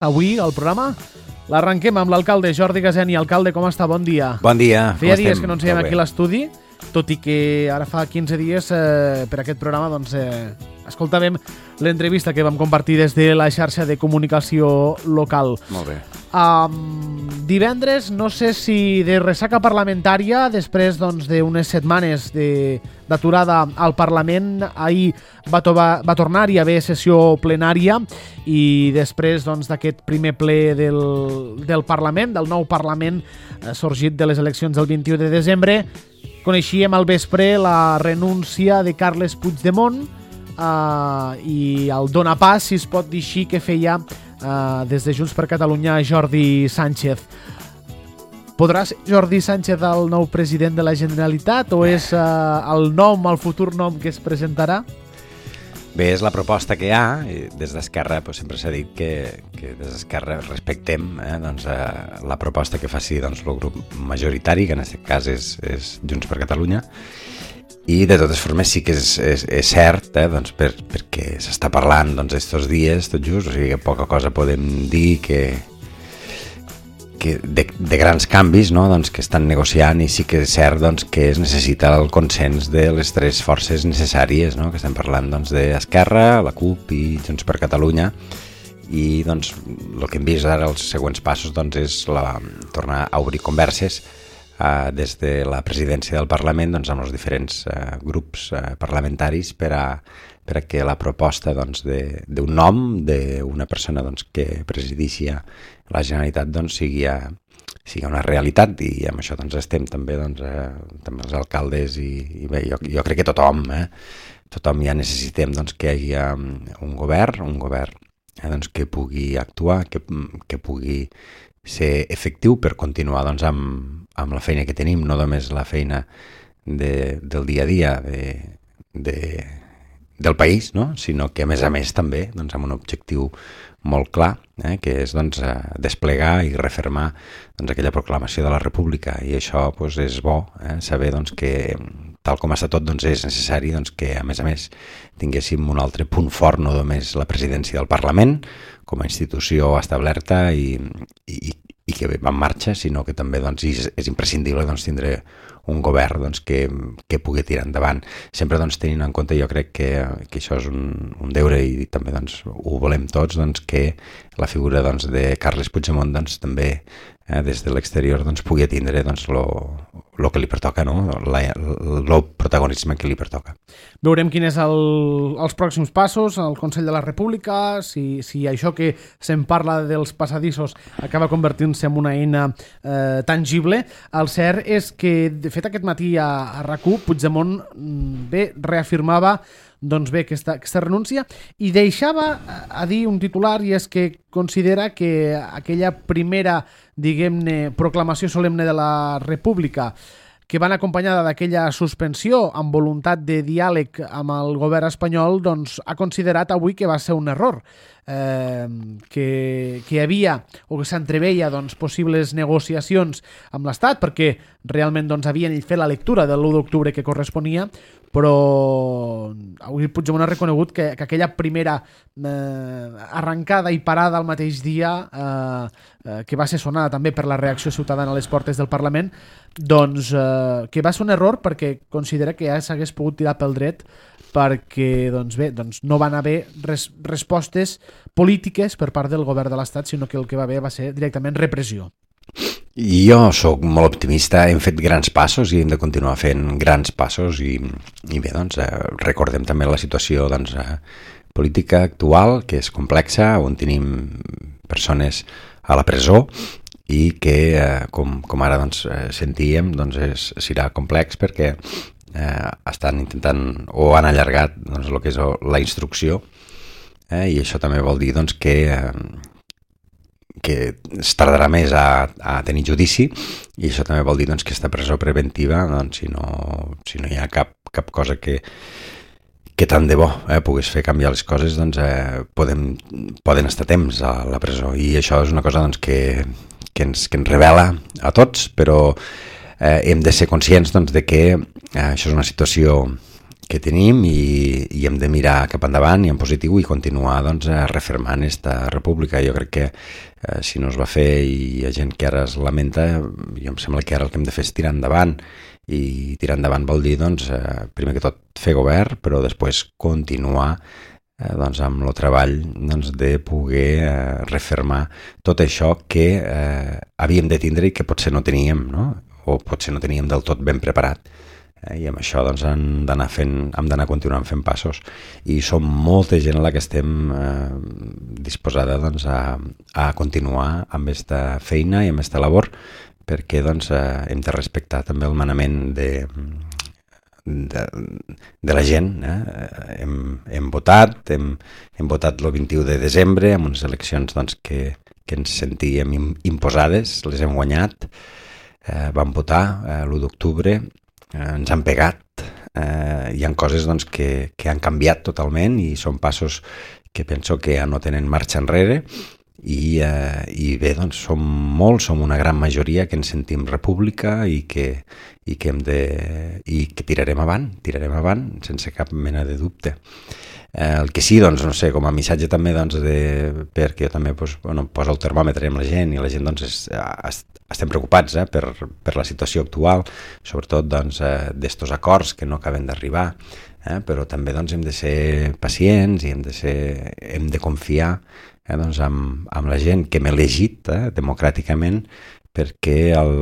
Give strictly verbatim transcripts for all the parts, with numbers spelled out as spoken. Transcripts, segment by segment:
Avui, el programa, l'arrenquem amb l'alcalde Jordi Gaseni. Alcalde, com està? Bon dia. Bon dia. Feia dies que no ens veiem aquí a l'estudi, tot i que ara fa quinze dies eh, per aquest programa doncs, eh, escoltàvem l'entrevista que vam compartir des de la xarxa de comunicació local. Molt bé. Um, divendres, no sé si de ressaca parlamentària, després doncs, d'unes setmanes de, d'aturada al Parlament, ahir va, tovar, va tornar-hi a haver sessió plenària i després doncs, d'aquest primer ple del, del Parlament, del nou Parlament eh, sorgit de les eleccions del vint-i-u de desembre, coneixíem al vespre la renúncia de Carles Puigdemont uh, i el donapàs, si es pot dir així, que feia uh, des de Junts per Catalunya Jordi Sánchez. Podrà ser Jordi Sánchez el nou president de la Generalitat o és uh, el nom, el futur nom que es presentarà? Bé, és la proposta que hi ha. Des d'Esquerra doncs, sempre s'ha dit que, que des d'Esquerra respectem eh, doncs, eh, la proposta que faci doncs, el grup majoritari, que en aquest cas és, és Junts per Catalunya. I de totes formes sí que és, és, és cert, eh, doncs, per, perquè s'està parlant doncs, estos dies, tot just, o sigui que poca cosa podem dir que, que de, de grans canvis no? doncs, que estan negociant, i sí que és cert doncs, que es necessita el consens de les tres forces necessàries, no? Que estem parlant doncs, d'Esquerra, la CUP i Junts per Catalunya, i doncs, el que hem vist ara, els següents passos, doncs, és la, tornar a obrir converses eh, des de la presidència del Parlament doncs, amb els diferents eh, grups eh, parlamentaris per a, per a que la proposta doncs, de, d'un nom d'una persona doncs, que presideixi la Generalitat doncs, sigui, a, sigui una realitat, i amb això doncs, estem també, doncs, eh, també els alcaldes i, i bé, jo, jo crec que tothom, eh, tothom ja necessitem doncs, que hi hagi un govern, un govern eh, doncs, que pugui actuar, que, que pugui ser efectiu per continuar doncs, amb, amb la feina que tenim, no només la feina de, del dia a dia de, de, del país, no? Sinó que a més a més també doncs, amb un objectiu molt clar, eh, que és doncs, desplegar i refermar doncs, aquella proclamació de la República, i això doncs, és bo eh, saber doncs, que tal com està tot doncs, és necessari doncs, que a més a més tinguéssim un altre punt fort, no només la presidència del Parlament com a institució establerta i, i, i que va en marxa, sinó que també doncs, és, és imprescindible doncs, tindre un govern doncs, que, que pugui tirar endavant. Sempre doncs, tenint en compte, jo crec que, que això és un, un deure, i també doncs, ho volem tots, doncs, que la figura doncs, de Carles Puigdemont doncs, també eh, des de l'exterior doncs, pugui atindre doncs, lo, lo que li pertoca, no? la, el protagonisme que li pertoca. Veurem quin és el, els pròxims passos al Consell de la República, si, si això que se'n parla dels passadissos acaba convertint-se en una eina eh, tangible. El cert és que, de fet, aquest matí a, a RAC1, Puigdemont bé reafirmava doncs bé, aquesta, aquesta renúncia, i deixava a dir un titular, i és que considera que aquella primera, diguem-ne, proclamació solemne de la República, que van acompanyada d'aquella suspensió amb voluntat de diàleg amb el govern espanyol, doncs ha considerat avui que va ser un error, eh, que, que hi havia o que s'entreveia doncs, possibles negociacions amb l'Estat, perquè realment doncs, havien fet la lectura de l'u d'octubre que corresponia, però avui Puigdemont ha reconegut que, que aquella primera eh, arrencada i parada al mateix dia, eh, eh, que va ser sonada també per la reacció ciutadana a les portes del Parlament, doncs eh, que va ser un error, perquè considera que ja s'hagués pogut tirar pel dret, perquè doncs bé, doncs no van haver res, respostes polítiques per part del govern de l'Estat, sinó que el que va haver va ser directament repressió. I jo sóc molt optimista, hem fet grans passos i hem de continuar fent grans passos, i, i bé, doncs, eh, recordem també la situació doncs, eh, política actual, que és complexa, on tenim persones a la presó i que, eh, com, com ara doncs, sentíem, doncs és, serà complex perquè eh, estan intentant o han allargat doncs, el que és la instrucció, eh, i això també vol dir doncs, que eh, que es tardarà més a, a tenir judici, i això també vol dir doncs, que aquesta presó preventiva, doncs, si, no, si no hi ha cap, cap cosa que, que tant de bo eh, pogués fer canviar les coses, doncs eh, podem, poden estar temps a la presó, i això és una cosa doncs, que, que, ens, que ens revela a tots, però eh, hem de ser conscients doncs, de que eh, això és una situació que tenim i, i hem de mirar cap endavant i en positiu i continuar doncs, refermant aquesta república. Jo crec que eh, si no es va fer i hi ha gent que ara es lamenta, jo em sembla que ara el que hem de fer és tirar endavant, i tirar endavant vol dir doncs, eh, primer que tot fer govern, però després continuar eh, doncs, amb el treball doncs, de poder eh, refermar tot això que eh, havíem de tindre i que potser no teníem, no? O potser no teníem del tot ben preparat. Eh, I amb això doncs, hem d'anar fent, hem d'anar continuant fent passos. I som molta gent a la que estem eh, disposada doncs, a, a continuar amb aquesta feina i amb aquesta labor, perquè doncs, eh, hem de respectar també el manament de, de, de la gent. Eh? Hem, hem votat, hem, hem votat el vint-i-u de desembre amb unes eleccions doncs, que, que ens sentíem imposades, les hem guanyat, eh, vam votar eh, l'u d'octubre, eh, ens han pegat, eh, hi ha coses doncs, que, que han canviat totalment i són passos que penso que ja no tenen marxa enrere. I, eh, i bé, doncs som molts, som una gran majoria que ens sentim república i que, i que hem de i que tirarem avant, tirarem avant sense cap mena de dubte. Eh, el que sí, doncs, no sé, com a missatge també, doncs, de, perquè jo també pues, bueno, poso el termòmetre amb la gent i la gent doncs, és, es, estem preocupats eh, per, per la situació actual, sobretot doncs, eh, d'estos acords que no acaben d'arribar, eh, però també doncs, hem de ser pacients i hem de, ser, hem de confiar eh, doncs, amb, amb la gent que hem elegit eh, democràticament, perquè el,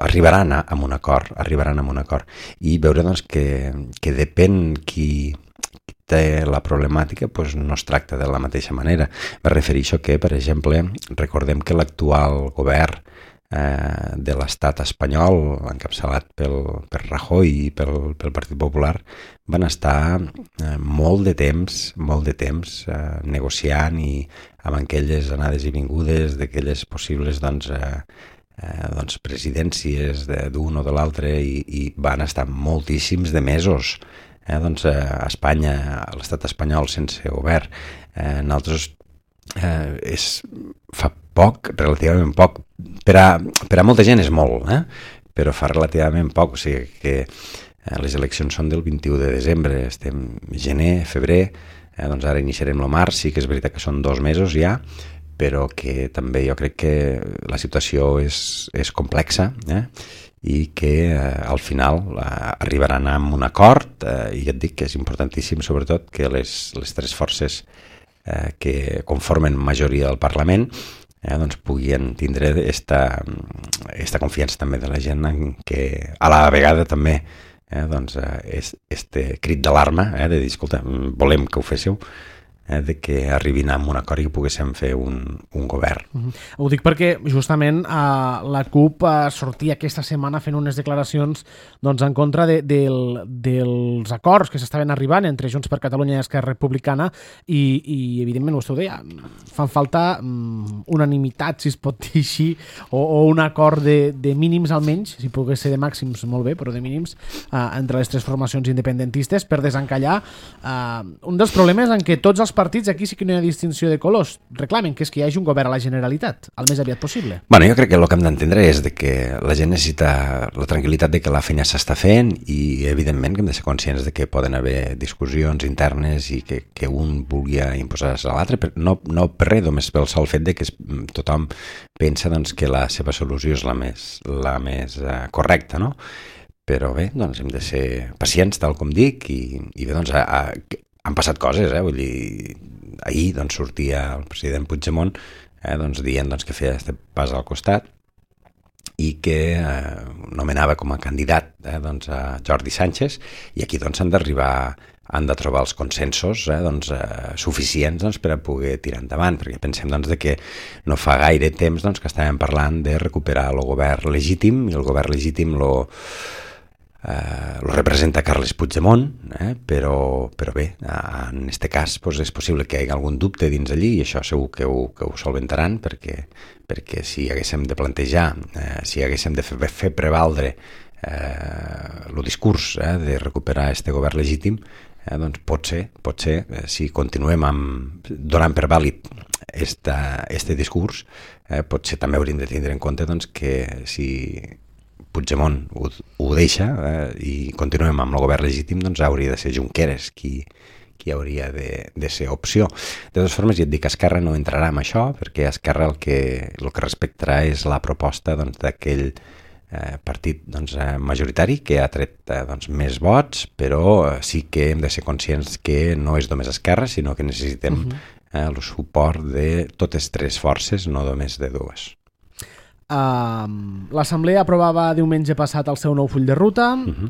arribaran a, a un acord, arribaran a un acord. I veure doncs, que, que depèn qui, qui té la problemàtica, doncs no es tracta de la mateixa manera. Me refereixo que, per exemple, recordem que l'actual govern eh, de l'estat espanyol, encapçalat pel, per Rajoy i pel, pel Partit Popular, van estar eh, molt de temps, molt de temps eh, negociant i amb aquelles anades i vingudes d'aquelles possibles doncs, eh, eh, doncs presidències d'un o de l'altre i, i van estar moltíssims de mesos. Eh, doncs eh, a Espanya, a l'estat espanyol sense govern. Eh, nosaltres eh, és, fa poc, relativament poc, per a, per a molta gent és molt, eh? Però fa relativament poc, o sigui que eh, les eleccions són del vint-i-u de desembre, estem gener, febrer, eh, doncs ara iniciarem el març, sí que és veritat que són dos mesos ja, però que també jo crec que la situació és, és complexa, eh? I que eh, al final eh, arribaran a un acord eh, i et dic que és importantíssim sobretot que les, les tres forces eh, que conformen majoria del Parlament eh, doncs puguin tindre esta, esta confiança també de la gent en que a la vegada també eh, doncs, eh, este crit d'alarma eh, de dir, escolta, volem que ho féssiu, eh, de que arribin a un acord i que poguéssim fer un, un govern. Uh-huh. Ho dic perquè justament uh, la CUP uh, sortia aquesta setmana fent unes declaracions doncs, en contra de, del, dels acords que s'estaven arribant entre Junts per Catalunya i Esquerra Republicana i, i evidentment, vostè ho deia, fan falta um, unanimitat, si es pot dir així, o, o un acord de, de mínims almenys, si pogués ser de màxims molt bé, però de mínims, uh, entre les tres formacions independentistes per desencallar uh, un dels problemes en què tots els partits, aquí sí que no hi ha distinció de colors, reclamen que és que hi hagi un govern a la Generalitat, el més aviat possible. Bueno, jo crec que el que hem d'entendre és de que la gent necessita la tranquil·litat de que la feina s'està fent i, evidentment, que hem de ser conscients de que poden haver discussions internes i que, que un vulgui imposar-se a l'altre, no, no per res, només pel sol fet de que tothom pensa doncs, que la seva solució és la més, la més uh, correcta, no? Però bé, doncs hem de ser pacients, tal com dic, i, i bé, doncs, a, a, han passat coses, eh? Vull dir, ahir doncs, sortia el president Puigdemont eh, doncs, dient doncs, que feia aquest pas al costat i que eh, nomenava com a candidat eh, doncs, a Jordi Sánchez, i aquí doncs, han d'arribar, han de trobar els consensos eh, doncs, eh, suficients doncs, per a poder tirar endavant, perquè pensem doncs, de que no fa gaire temps doncs, que estàvem parlant de recuperar el govern legítim, i el govern legítim lo Uh, lo representa Carles Puigdemont, eh? però, però bé, en aquest cas pues, és possible que hi hagi algun dubte dins allí i això segur que ho, que ho solventaran perquè, perquè si haguéssim de plantejar, eh, si haguéssim de fer, fer prevaldre eh, el discurs eh, de recuperar este govern legítim, eh, doncs pot ser, pot ser eh, si continuem amb, donant per vàlid esta, este discurs, eh, potser també hauríem de tindre en compte doncs, que si Puigdemont ho, ho deixa eh, i continuem amb el govern legítim, doncs hauria de ser Junqueras qui, qui hauria de, de ser opció. De totes formes, ja et dic que Esquerra no entrarà en això, perquè Esquerra el que, el que respectarà és la proposta doncs, d'aquell eh, partit doncs, eh, majoritari que ha tret eh, doncs, més vots, però eh, sí que hem de ser conscients que no és només Esquerra, sinó que necessitem uh-huh. eh, el suport de totes tres forces, no només de dues. Uh, L'Assemblea aprovava diumenge passat el seu nou full de ruta. Uh-huh.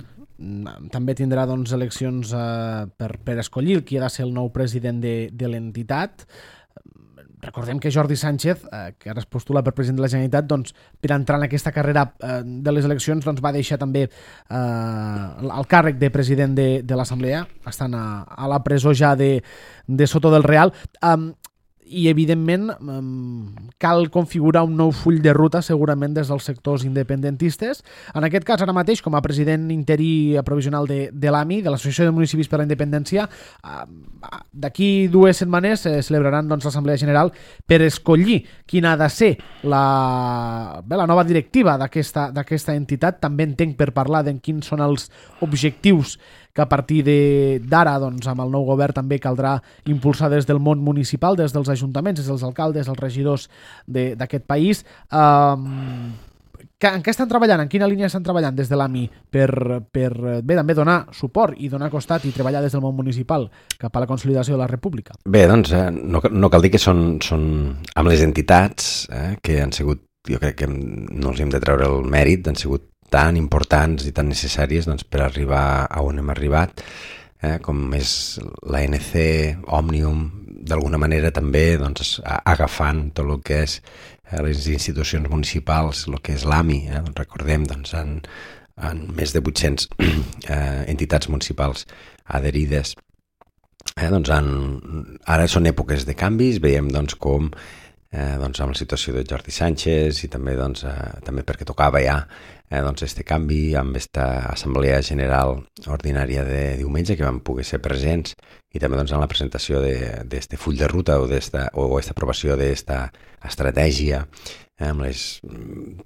També tindrà doncs, eleccions uh, per, per escollir qui ha de ser el nou president de, de l'entitat. Recordem que Jordi Sánchez, uh, que ara es postula per president de la Generalitat, doncs, per entrar en aquesta carrera uh, de les eleccions doncs, va deixar també uh, el càrrec de president de, de l'Assemblea, estant a, a la presó ja de, de Soto del Real. Um, i evidentment cal configurar un nou full de ruta segurament des dels sectors independentistes. En aquest cas, ara mateix, com a president interí provisional de, de l'A M I, de l'Associació de Municipis per la Independència, d'aquí dues setmanes eh, celebraran doncs, l'Assemblea General per escollir quina ha de ser la, bé, la nova directiva d'aquesta d'aquesta entitat. També entenc per parlar de quins són els objectius que a partir d'ara, doncs, amb el nou govern també caldrà impulsar des del món municipal, des dels ajuntaments, des dels alcaldes, els regidors d'aquest país. Um, que, en què estan treballant? En quina línia estan treballant des de l'A M I per, per bé, també donar suport i donar costat i treballar des del món municipal cap a la consolidació de la República? Bé, doncs, eh, no, no cal dir que són, són amb les entitats eh, que han sigut, jo crec que no els hem de treure el mèrit, han sigut tan importants i tan necessàries doncs, per arribar a on hem arribat, eh, com és l'A N C, Òmnium, d'alguna manera també doncs, agafant tot el que és eh, les institucions municipals, el que és l'A M I, eh, doncs, recordem, doncs, en, en més de vuit-centes eh, entitats municipals adherides. Eh, doncs, en, ara són èpoques de canvis, veiem doncs, com Eh, doncs amb la situació de Jordi Sánchez i també, doncs, eh, també perquè tocava ja eh, doncs este canvi amb aquesta Assemblea General Ordinària de diumenge que vam poder ser presents i també doncs, en la presentació d'este full de ruta o esta, o esta aprovació d'esta estratègia eh, amb les,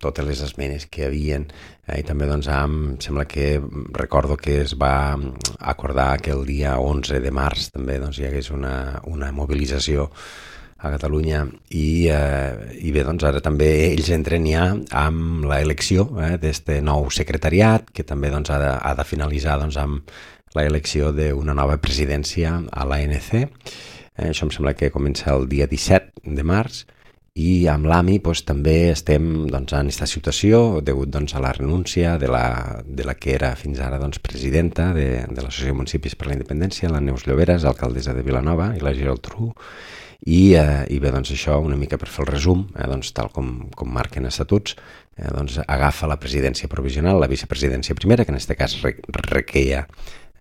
totes les esmenes que hi havia eh, i també doncs, amb, sembla que recordo que es va acordar que el dia onze de març també doncs, hi hagués una, una mobilització a Catalunya i, eh, i bé, doncs ara també ells entren ja amb l'elecció eh, d'este nou secretariat que també doncs, ha, de, ha de finalitzar doncs, amb l'elecció d'una nova presidència a l'A N C. Eh, això em sembla que comença el dia disset de març i amb l'A M I doncs, també estem doncs, en aquesta situació degut doncs, a la renúncia de la, de la que era fins ara doncs, presidenta de, de l'Associació de Municipis per la Independència, la Neus Lloberes, alcaldessa de Vilanova, i la Gerald Tru. I, eh, i bé, doncs això, una mica per fer el resum, eh, doncs, tal com, com marquen estatuts, eh, doncs agafa la presidència provisional, la vicepresidència primera, que en aquest cas re, requeia,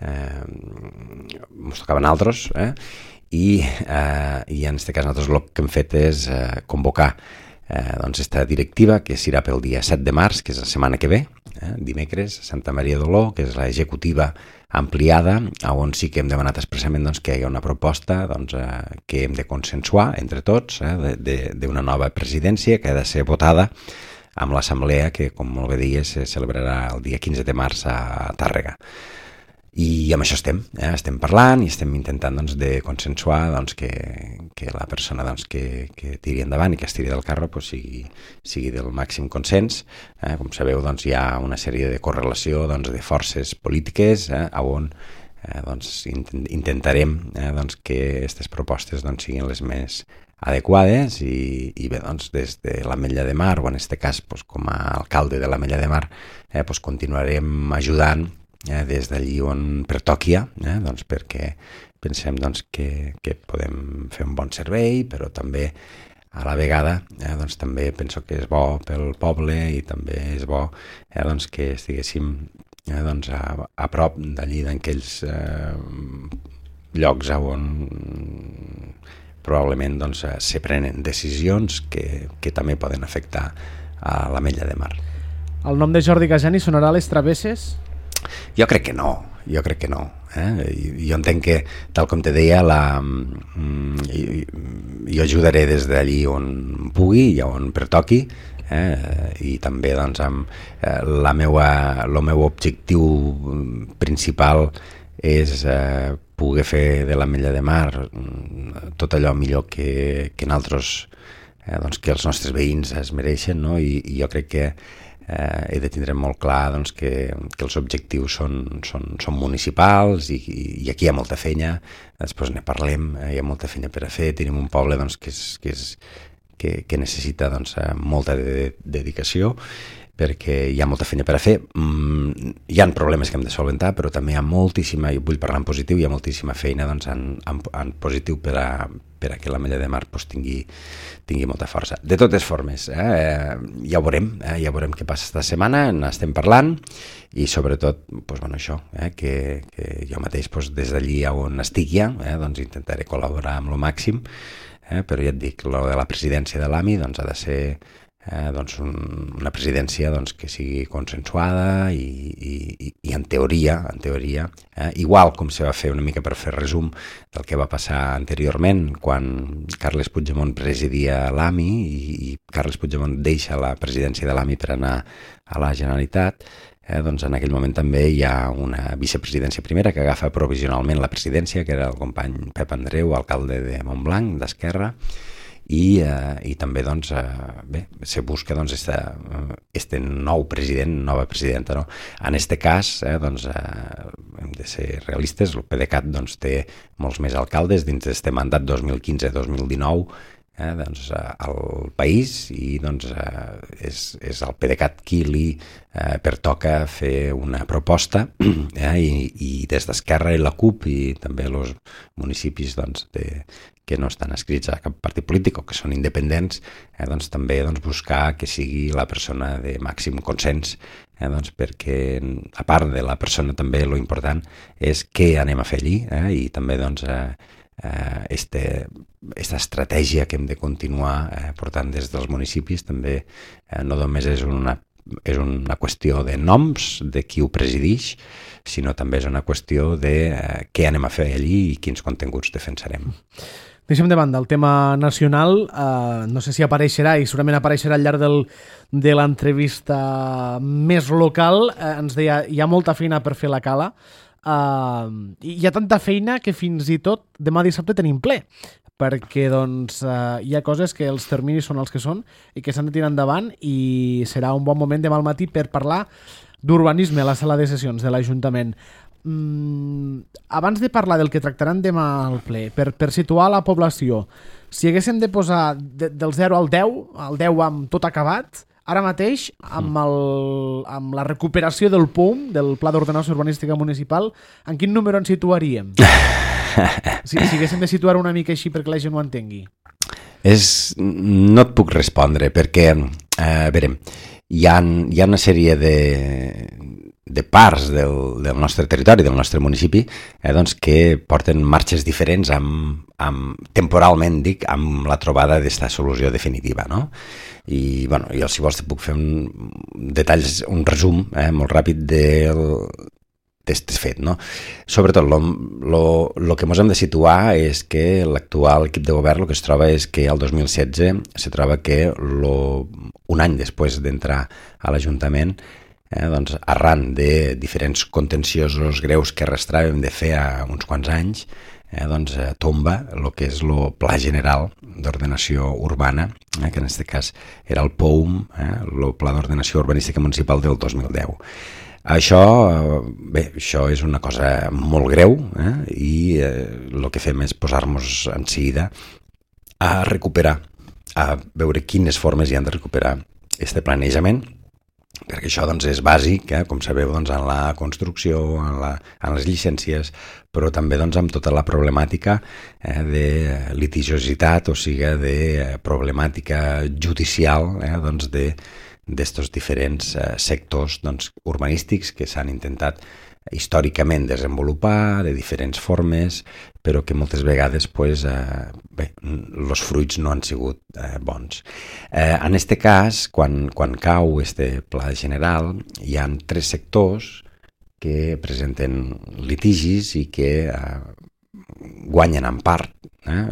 eh, ens tocaven altres, eh, i, eh, i en aquest cas nosaltres el que hem fet és eh, convocar eh, doncs esta directiva, que serà pel dia set de març, que és la setmana que ve, eh, dimecres, Santa Maria d'Oló, que és l'executiva ampliada, on sí que hem demanat expressament doncs, que hi ha una proposta doncs, eh, que hem de consensuar entre tots eh, d'una nova presidència que ha de ser votada amb l'assemblea que, com molt bé deies, se celebrarà el dia quinze de març a Tàrrega. I amb això estem, eh? estem parlant i estem intentant doncs, de consensuar doncs, que, que la persona doncs, que, que tiri endavant i que es tiri del carro doncs, sigui, sigui del màxim consens. Eh? Com sabeu, doncs, hi ha una sèrie de correlació doncs, de forces polítiques eh? on eh, doncs, intentarem eh, doncs, que aquestes propostes doncs, siguin les més adequades i, i bé, doncs, des de l'Ametlla de Mar, o en aquest cas doncs, com a alcalde de l'Ametlla de Mar, eh, doncs, continuarem ajudant Eh, des d'allí on pertoquia, eh, doncs perquè pensem doncs, que, que podem fer un bon servei, però també a la vegada eh, doncs, també penso que és bo pel poble i també és bo eh, doncs, que estiguéssim eh, doncs, a, a prop d'allí d'aquells eh, llocs on probablement doncs, se prenen decisions que, que també poden afectar a l'Ametlla de Mar. El nom de Jordi Gajani sonarà a les travesses? Jo crec que no, jo crec que no. Eh? Jo entenc que, tal com te deia, la, jo ajudaré des d'allí on pugui i on pertoqui, eh? I també doncs, amb, eh, la meua, el meu objectiu principal és eh, poder fer de l'Ametlla de Mar tot allò millor que, que nosaltres, eh, doncs, que els nostres veïns es mereixen, no? I, i jo crec que eh, he de tindre molt clar doncs, que, que els objectius són, són, són municipals i, i aquí hi ha molta feina, després ne parlem, eh, hi ha molta feina per a fer, tenim un poble doncs, que, és, que, és, que, que necessita doncs, molta de, dedicació, perquè hi ha molta feina per a fer. Mm, hi ha problemes que hem de solventar, però també hi ha moltíssima, i vull parlar en positiu, hi ha moltíssima feina doncs, en, en, en positiu per a, per a que l'Ametlla de Mar pues, tingui, tingui molta força. De totes formes, eh, ja ho veurem, eh, ja veurem què passa esta setmana, n'estem parlant, i sobretot, pues, bueno, això, eh, que, que jo mateix pues, des d'allí on estic ja, eh, doncs intentaré col·laborar amb lo màxim, eh, però ja et dic, lo de la presidència de l'A M I doncs, ha de ser Eh, doncs un, una presidència doncs, que sigui consensuada i, i, i en teoria, en teoria eh, igual com se va fer una mica per fer resum del que va passar anteriorment quan Carles Puigdemont presidia l'A M I i, i Carles Puigdemont deixa la presidència de l'A M I per anar a la Generalitat, eh, doncs en aquell moment també hi ha una vicepresidència primera que agafa provisionalment la presidència, que era el company Pep Andreu, alcalde de Montblanc, d'Esquerra, i, eh, i també doncs, eh, bé, se busca doncs, este, este nou president, nova presidenta. No? En este cas, eh, doncs, eh, hem de ser realistes, el PDeCAT doncs, té molts més alcaldes dins d'aquest mandat dos mil quinze dos mil dinou, eh, doncs, eh, al país, i doncs, eh, és, és el PDeCAT qui li eh, pertoca fer una proposta, eh, i, i des d'Esquerra i la CUP i també els municipis doncs, de, que no estan escrits a cap partit polític o que són independents, eh, doncs, també doncs, buscar que sigui la persona de màxim consens, eh, doncs, perquè a part de la persona també lo important és què anem a fer allí, eh, i també doncs, eh, eh, este, esta estratègia que hem de continuar eh, portant des dels municipis també eh, no només és una és una qüestió de noms, de qui ho presideix, sinó també és una qüestió de eh, què anem a fer allí i quins continguts defensarem. Deixem de banda el tema nacional, eh, no sé si apareixerà i segurament apareixerà al llarg del, de l'entrevista més local, eh, ens deia, hi ha molta feina per fer la cala, eh, hi ha tanta feina que fins i tot demà dissabte tenim ple, perquè doncs, eh, hi ha coses que els terminis són els que són i que s'han de tirar endavant i serà un bon moment demà al matí per parlar d'urbanisme a la sala de sessions de l'Ajuntament. Mm, abans de parlar del que tractaran demà al ple, per, per situar la població, si haguéssim de posar de, del zero al deu, al deu amb tot acabat, ara mateix, amb, el, amb la recuperació del P U M, del Pla d'Ordenació Urbanística Municipal, en quin número ens situaríem? Si, si haguéssim de situar una mica així perquè la gent ho entengui. És, no et puc respondre, perquè, eh, a veure, hi ha, hi ha una sèrie de... de parts del, del nostre territori, del nostre municipi, eh, doncs que porten marxes diferents amb, amb, temporalment, dic, amb la trobada d'esta solució definitiva, no? I, bueno, jo, si vols, te puc fer un detalls, un resum eh, molt ràpid del d'aquest fet, no? Sobretot, el que ens hem de situar és que l'actual equip de govern el que es troba és que el dos mil setze se troba que lo, un any després d'entrar a l'Ajuntament, Eh, doncs, arran de diferents contenciosos greus que arrastràvem de fer a uns quants anys, eh, doncs, eh, tomba el que és el Pla General d'Ordenació Urbana, eh, que en aquest cas era el P O U M, eh, el Pla d'Ordenació Urbanística Municipal del dos mil deu. Això, bé, això és una cosa molt greu, eh, i eh, el que fem és posar-nos en seguida a recuperar, a veure quines formes hi han de recuperar este planejament, perquè això doncs, és bàsic, eh, com sabeu, doncs, en la construcció, en, la, en les llicències, però també doncs, amb tota la problemàtica eh, de litigiositat, o sigui, de problemàtica judicial eh, doncs, de d'estos diferents eh, sectors doncs, urbanístics que s'han intentat històricament desenvolupar de diferents formes, però que moltes vegades pues, eh, bé, els fruits no han sigut eh, bons. Eh, en aquest cas, quan, quan cau este pla general, hi ha tres sectors que presenten litigis i que eh, guanyen en part eh?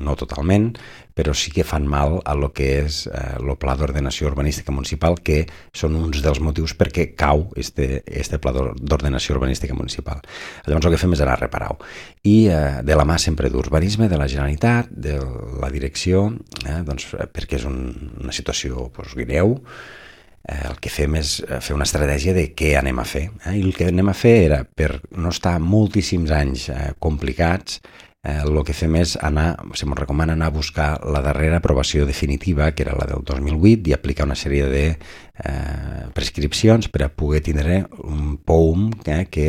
No totalment, però sí que fan mal a lo que és eh, el pla d'ordenació urbanística municipal, que són uns dels motius perquè cau este, este pla d'ordenació urbanística municipal. Llavors el que fem és anar a reparar-ho. I eh, de la mà sempre d'urbanisme, de la Generalitat, de la direcció, eh, doncs, perquè és un, una situació doncs, greu, eh, el que fem és fer una estratègia de què anem a fer. Eh? I el que anem a fer era, per no estar moltíssims anys eh, complicats, Eh, el que fem és anar, se ens recomana anar a buscar la darrera aprovació definitiva, que era la del dos mil vuit, i aplicar una sèrie de eh, prescripcions per a poder tindre un P O U M eh, que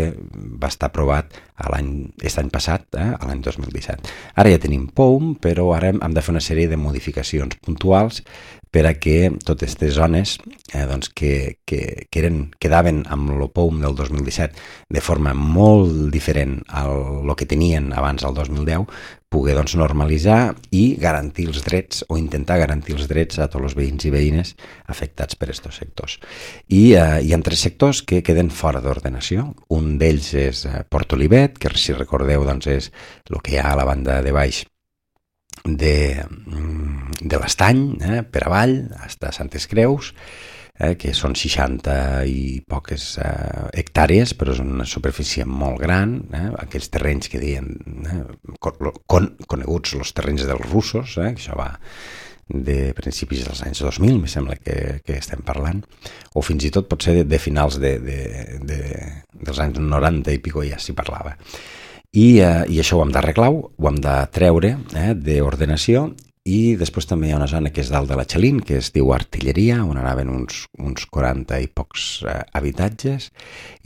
va estar aprovat a l'any, aquest any passat, eh, a l'any dos mil disset. Ara ja tenim P O U M, però ara hem de fer una sèrie de modificacions puntuals per a que totes aquestes zones eh, doncs que, que, que eren, quedaven amb el P O U M del dos mil disset de forma molt diferent al que tenien abans del dos mil deu, poder doncs, normalitzar i garantir els drets o intentar garantir els drets a tots els veïns i veïnes afectats per aquests sectors. I eh, hi ha tres sectors que queden fora d'ordenació. Un d'ells és eh, Port Olivet, que si recordeu doncs, és el que hi ha a la banda de baix de, de l'Estany, eh, per avall, fins a Santes Creus, eh, que són seixanta i poques eh, hectàrees, però és una superfície molt gran, eh, aquells terrenys que deien eh, con, coneguts els terrenys dels russos, eh, que això va de principis dels anys dos mil, me sembla que, que estem parlant, o fins i tot potser de, de finals de, de, de, dels anys noranta i pico ja s'hi parlava. I, eh, i això ho hem d'arreglar, ho hem de treure eh, d'ordenació, i després també hi ha una zona que és dalt de la Xalín, que es diu Artilleria, on anaven uns, uns quaranta i pocs eh, habitatges,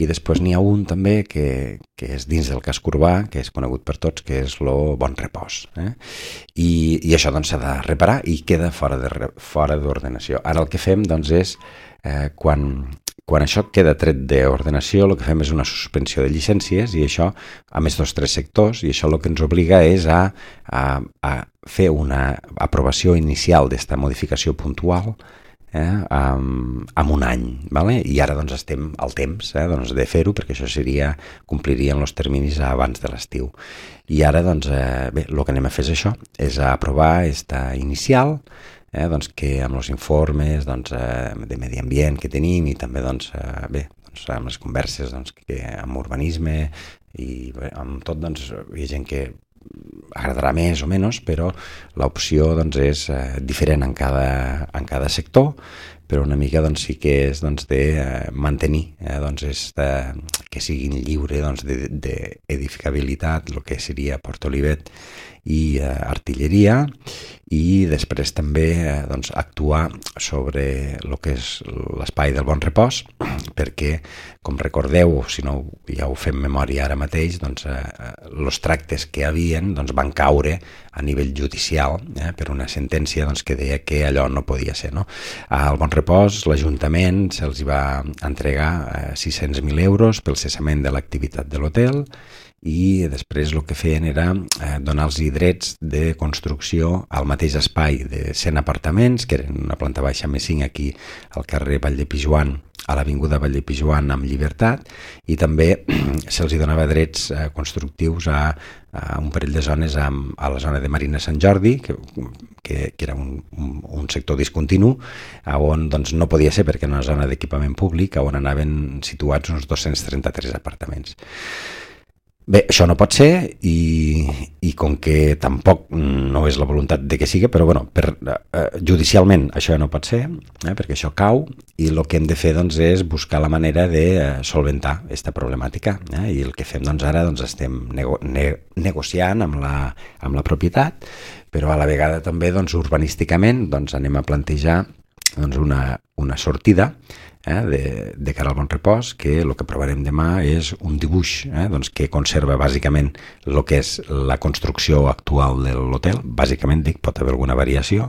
i després n'hi ha un també que, que és dins del casc urbà, que és conegut per tots, que és el Bon Repòs. Eh? I, I això doncs s'ha de reparar i queda fora de, fora d'ordenació. Ara el que fem doncs és, eh, quan... Quan això queda tret d'ordenació, el que fem és una suspensió de llicències, i això, a més dels tres sectors, i això el que ens obliga és a, a, a fer una aprovació inicial d'esta modificació puntual eh, amb, amb un any. ¿vale? I ara doncs, estem al temps eh, doncs, de fer-ho, perquè això seria, complirien els terminis abans de l'estiu. I ara, doncs, eh, bé, el que anem a fer és això, és a aprovar esta inicial, Eh, doncs que amb els informes doncs, eh, de medi ambient que tenim, i també doncs, eh, bé, doncs, amb les converses doncs, que amb urbanisme i bé, amb tot doncs, hi ha gent que agradarà més o menys, però l'opció doncs, és eh, diferent en cada, en cada sector, però una mica doncs, sí que és doncs, de eh, mantenir eh, doncs, esta, que siguin lliure doncs, d'edificabilitat, el que seria Port Olivet i eh, Artilleria, i després també eh, doncs, actuar sobre el que és l'espai del Bon Repòs, perquè, com recordeu, si no ja ho fem memòria ara mateix, doncs, eh, els tractes que hi havien doncs, van caure a nivell judicial eh, per una sentència doncs, que deia que allò no podia ser. No? Al Bon Repòs, l'Ajuntament se'ls va entregar eh, sis-cents mil euros pel cessament de l'activitat de l'hotel, i després el que feien era eh, donar-los drets de construcció al mateix espai de cent apartaments, que eren una planta baixa més cinc aquí al carrer Vall de Pijuan, a l'avinguda Vall de Pijuan amb Llibertat, i també se'ls donava drets eh, constructius a, a un parell de zones a, a la zona de Marina Sant Jordi, que, que, que era un, un, un sector discontinu, on doncs, no podia ser perquè era una zona d'equipament públic, on anaven situats uns dos-cents trenta-tres apartaments. Bé, això no pot ser, i, i com que tampoc no és la voluntat de que sigui, però bueno, per, eh, judicialment això no pot ser, eh, perquè això cau, i el que hem de fer doncs, és buscar la manera de eh, solventar aquesta problemàtica. Eh, I el que fem doncs, ara doncs, estem nego ne negociant amb la, amb la propietat, però a la vegada també doncs, urbanísticament doncs, anem a plantejar doncs, una, una sortida Eh, de, de cara al Bon Repòs, que el que provarem demà és un dibuix eh, doncs, que conserva bàsicament el que és la construcció actual de l'hotel. Bàsicament dic, pot haver alguna variació,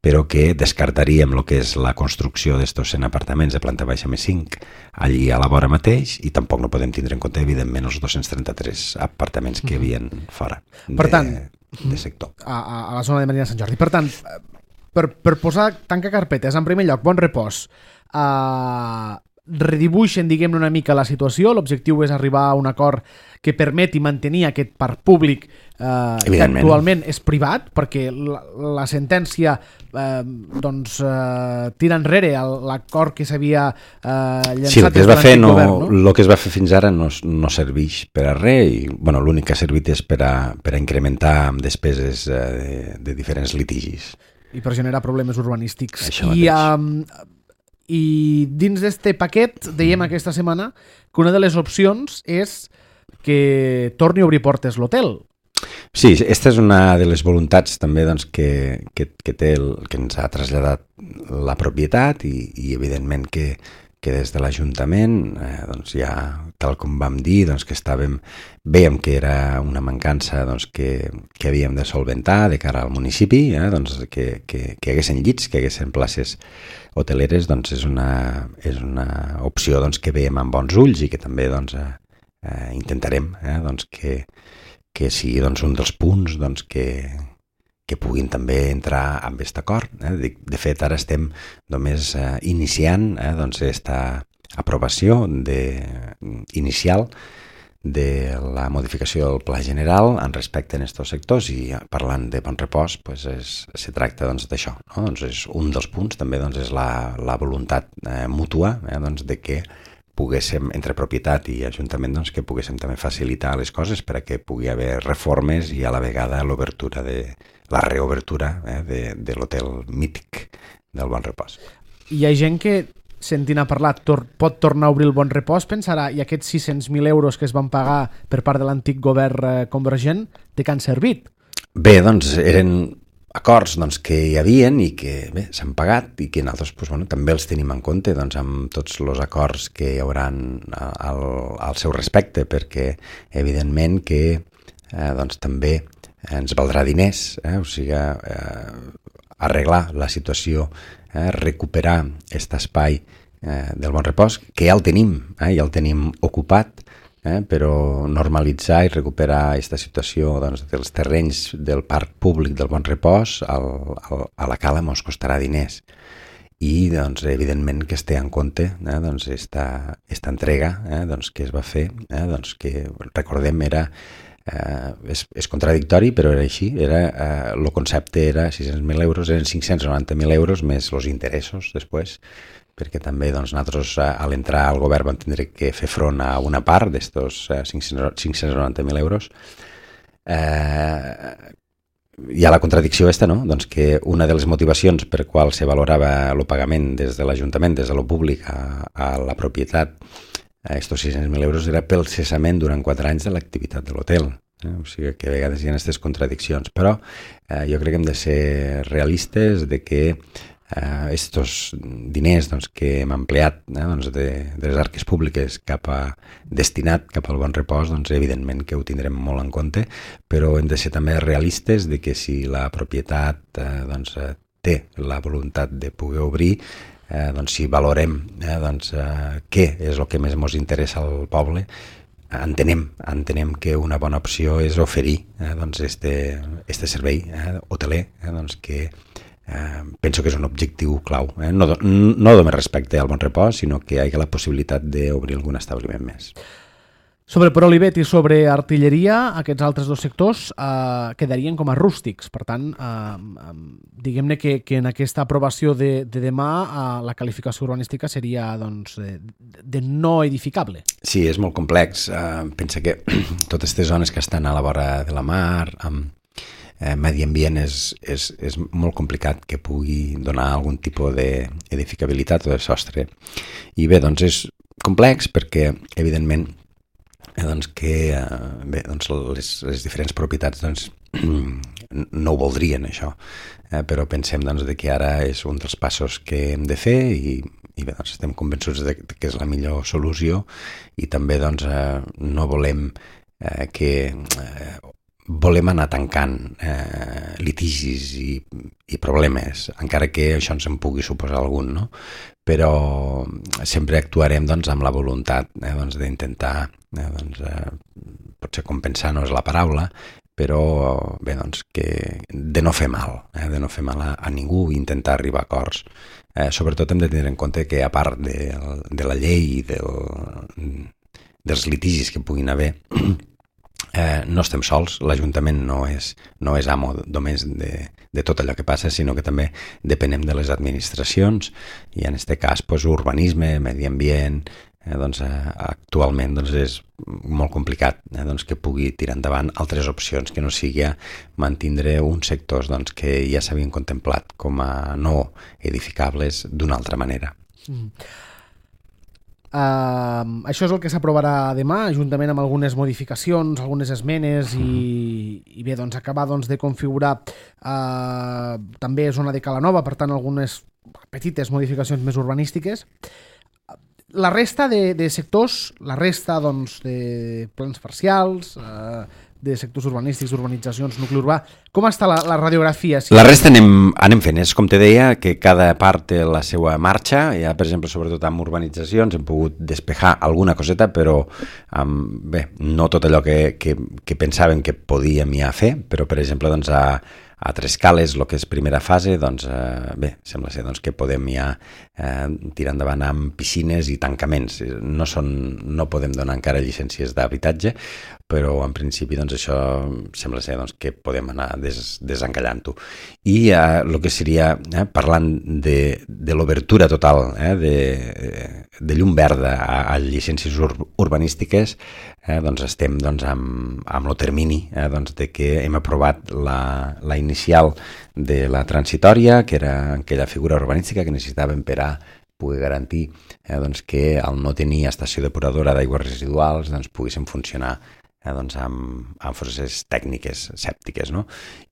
però que descartaríem el que és la construcció d'estos cent apartaments de planta baixa més cinc allí a la vora mateix, i tampoc no podem tindre en compte, evidentment, els dos-cents trenta-tres apartaments que hi havia fora per tant, de, de sector. A, a la zona de Marina Sant Jordi. Per tant, per, per posar tanca carpetes, en primer lloc, Bon Repòs, Uh, redibuixen, diguem-ne, una mica la situació. L'objectiu és arribar a un acord que permeti mantenir aquest parc públic eh, que actualment és privat, perquè la, la sentència eh, doncs, eh, tira enrere l'acord que s'havia eh, llançat. Sí, el que es va fer no, govern, no? El que es va fer fins ara no, no serveix per a res i bueno, l'únic que ha servit és per a, per a incrementar despeses eh, de, de diferents litigis. I per generar problemes urbanístics. I, um, I dins d'este paquet dèiem mm. aquesta setmana que una de les opcions és que torni a obrir portes l'hotel. Sí, aquesta és una de les voluntats també doncs, que, que, que, té el, que ens ha traslladat la propietat i, i evidentment que, que des de l'Ajuntament eh, doncs ja, tal com vam dir, doncs, que estàvem, vèiem que era una mancança doncs, que, que havíem de solventar de cara al municipi, eh, doncs, que, que, que hi haguessin llits, que hi haguessin places hoteleres, doncs és una, és una opció doncs, que veiem amb bons ulls i que també doncs, eh, eh, intentarem eh, doncs, que, que sigui doncs, un dels punts doncs, que, que puguin també entrar amb aquest acord. Eh? De, de fet, ara estem només eh, iniciant eh, doncs, esta aprovació de, inicial de la modificació del Pla General en respecte a aquests sectors i parlant de bon repòs pues, és, se tracta doncs, d'això. No? Doncs és un dels punts, també doncs, és la, la voluntat eh, mútua eh, doncs, de que poguéssim, entre propietat i ajuntament, doncs, que poguéssim també facilitar les coses per a que pugui haver reformes i a la vegada l'obertura de la reobertura eh, de, de l'hotel mític del Bon Repòs. Hi ha gent que, sentint a parlar, tor pot tornar a obrir el Bon Repòs, pensarà, i aquests sis-cents mil euros que es van pagar per part de l'antic govern eh, convergent, de què han servit? Bé, doncs, eren acords doncs, que hi havien i que s'han pagat i que nosaltres doncs, bueno, també els tenim en compte doncs, amb tots els acords que hi haurà al, al seu respecte, perquè evidentment que eh, doncs, també ens valdrà diners, eh? O sigui, eh, arreglar la situació, eh? recuperar aquest espai eh, del Bon Repòs, que ja el tenim, eh? ja el tenim ocupat, Eh, però normalitzar i recuperar aquesta situació doncs, dels terrenys del parc públic del Bon Repòs al, al, a la cala ens costarà diners i doncs, evidentment que es té en compte eh, doncs, esta, esta entrega eh, doncs, que es va fer, eh, doncs, que recordem era eh, és, és contradictori però era així, era, eh, el concepte era sis-cents mil euros, eren cinc-cents noranta mil euros més els interessos després, perquè també doncs, nosaltres a l'entrar al govern vam tindre que fer front a una part d'estos cinc-cents noranta mil euros. Eh, hi ha la contradicció esta, no? Doncs que una de les motivacions per qual se valorava el pagament des de l'Ajuntament, des de lo públic a, a la propietat, a estos sis-cents mil euros, era pel cessament durant quatre anys de l'activitat de l'hotel. Eh? O sigui que a vegades hi ha aquestes contradiccions, però eh, jo crec que hem de ser realistes de que Uh, estos diners doncs, que hem empleat eh, doncs, de, de les arques públiques cap a, destinat cap al Bon Repòs, doncs, evidentment que ho tindrem molt en compte, però hem de ser també realistes de que si la propietat eh, doncs, té la voluntat de poder obrir, eh, doncs, si valorem eh, doncs, eh, què és el que més ens interessa al poble, entenem, entenem que una bona opció és oferir eh, doncs, este, este servei eh, hoteler eh, doncs, que Eh, penso que és un objectiu clau, eh? no, no només respecte al Bon Repòs, sinó que hi ha la possibilitat d'obrir algun establiment més. Sobre Prolivet i sobre artilleria, aquests altres dos sectors eh, quedarien com a rústics. Per tant, eh, diguem-ne que, que en aquesta aprovació de, de demà eh, la qualificació urbanística seria doncs, de, de no edificable. Sí, és molt complex. Eh, pensa que totes aquestes zones que estan a la vora de la mar, amb Eh, medi ambient és, és, és molt complicat que pugui donar algun tipus d'edificabilitat o de sostre. I bé, doncs és complex perquè, evidentment, eh, doncs que eh, bé, doncs les, les diferents propietats doncs, no ho voldrien, això. Eh, però pensem doncs, de que ara és un dels passos que hem de fer i, i bé, doncs, estem convençuts de que és la millor solució i també doncs, eh, no volem eh, que... Eh, volem anar tancant eh, litigis i, i problemes, encara que això ens en pugui suposar algun, no? Però sempre actuarem doncs, amb la voluntat eh, doncs, d'intentar, eh, doncs, eh, potser compensar no és la paraula, però bé, doncs, que de no fer mal, eh? de no fer mal a, a ningú, intentar arribar a acords. Eh, sobretot hem de tenir en compte que, a part de, de la llei i del, dels litigis que puguin haver, eh, no estem sols, l'Ajuntament no és, no és amo només de, de tot allò que passa, sinó que també depenem de les administracions, i en aquest cas pues, urbanisme, medi ambient. Eh, doncs, eh, actualment doncs, és molt complicat eh, doncs, que pugui tirar endavant altres opcions que no sigui mantindre uns sectors doncs, que ja s'havien contemplat com a no edificables d'una altra manera. Mm. Uh, això és el que s'aprovarà demà, juntament amb algunes modificacions, algunes esmenes i, mm. i bé, doncs, acabar doncs, de configurar uh, també zona de Cala Nova, per tant algunes petites modificacions més urbanístiques. La resta de, de sectors, la resta doncs, de plans parcials, eh, de sectors urbanístics, urbanitzacions, nucli urbà, com està la, la radiografia? Sí. La resta anem, anem fent, és com te deia, que cada part té la seva marxa, ja per exemple, sobretot amb urbanitzacions hem pogut despejar alguna coseta, però amb, bé, no tot allò que, que, que pensàvem que podíem ja fer, però per exemple doncs, a, a Tres Cales, el que és primera fase, doncs, eh, bé, sembla ser doncs, que podem ja eh, tirar endavant amb piscines i tancaments. No, són, no podem donar encara llicències d'habitatge, però en principi doncs, això sembla ser doncs, que podem anar des, desencallant-ho. I eh, el que seria, eh, parlant de, de l'obertura total eh, de, de llum verda a, a llicències ur, urbanístiques, eh, doncs estem doncs, amb, amb el termini eh, doncs, de que hem aprovat la, la inicial de la transitòria, que era aquella figura urbanística que necessitàvem per a poder garantir eh, doncs, que al no tenir estació depuradora d'aigües residuals doncs, poguessin funcionar eh, doncs, amb, amb forces tècniques sèptiques. No?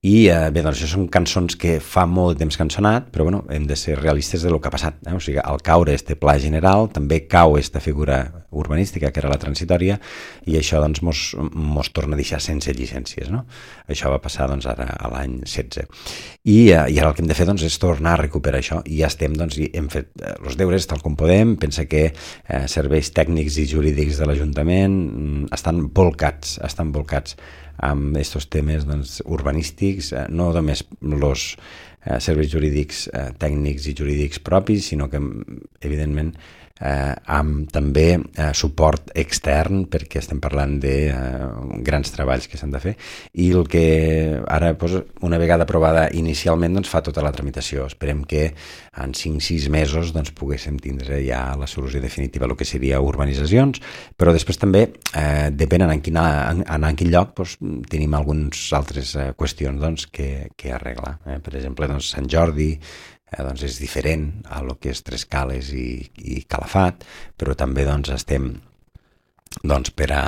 I eh, bé, doncs, això són cançons que fa molt temps que han sonat, però bueno, hem de ser realistes de lo que ha passat. Eh? O sigui, al caure este pla general també cau esta figura urbanística, que era la transitòria, i això doncs, mos, mos torna a deixar sense llicències. No? Això va passar doncs, ara a l'any setze. I, eh, I ara el que hem de fer doncs, és tornar a recuperar això, i ja estem, doncs, i hem fet eh, els deures tal com podem. Pensa que eh, serveis tècnics i jurídics de l'Ajuntament mm, estan volcats, estan volcats amb aquests temes doncs, urbanístics, eh, no només els eh, serveis jurídics eh, tècnics i jurídics propis, sinó que, evidentment, eh, amb també eh, suport extern, perquè estem parlant de eh, grans treballs que s'han de fer, i el que ara, doncs, una vegada aprovada inicialment, doncs, fa tota la tramitació. Esperem que en cinc o sis mesos doncs, poguéssim tindre ja la solució definitiva, el que seria urbanitzacions, però després també, eh, depèn en quin, en, en quin lloc, doncs, tenim algunes altres eh, qüestions doncs, que, que arreglar. Eh? Per exemple, doncs, Sant Jordi, Eh, doncs és diferent a lo que és Tres Cales i, i Calafat, però també doncs, estem doncs, per, a,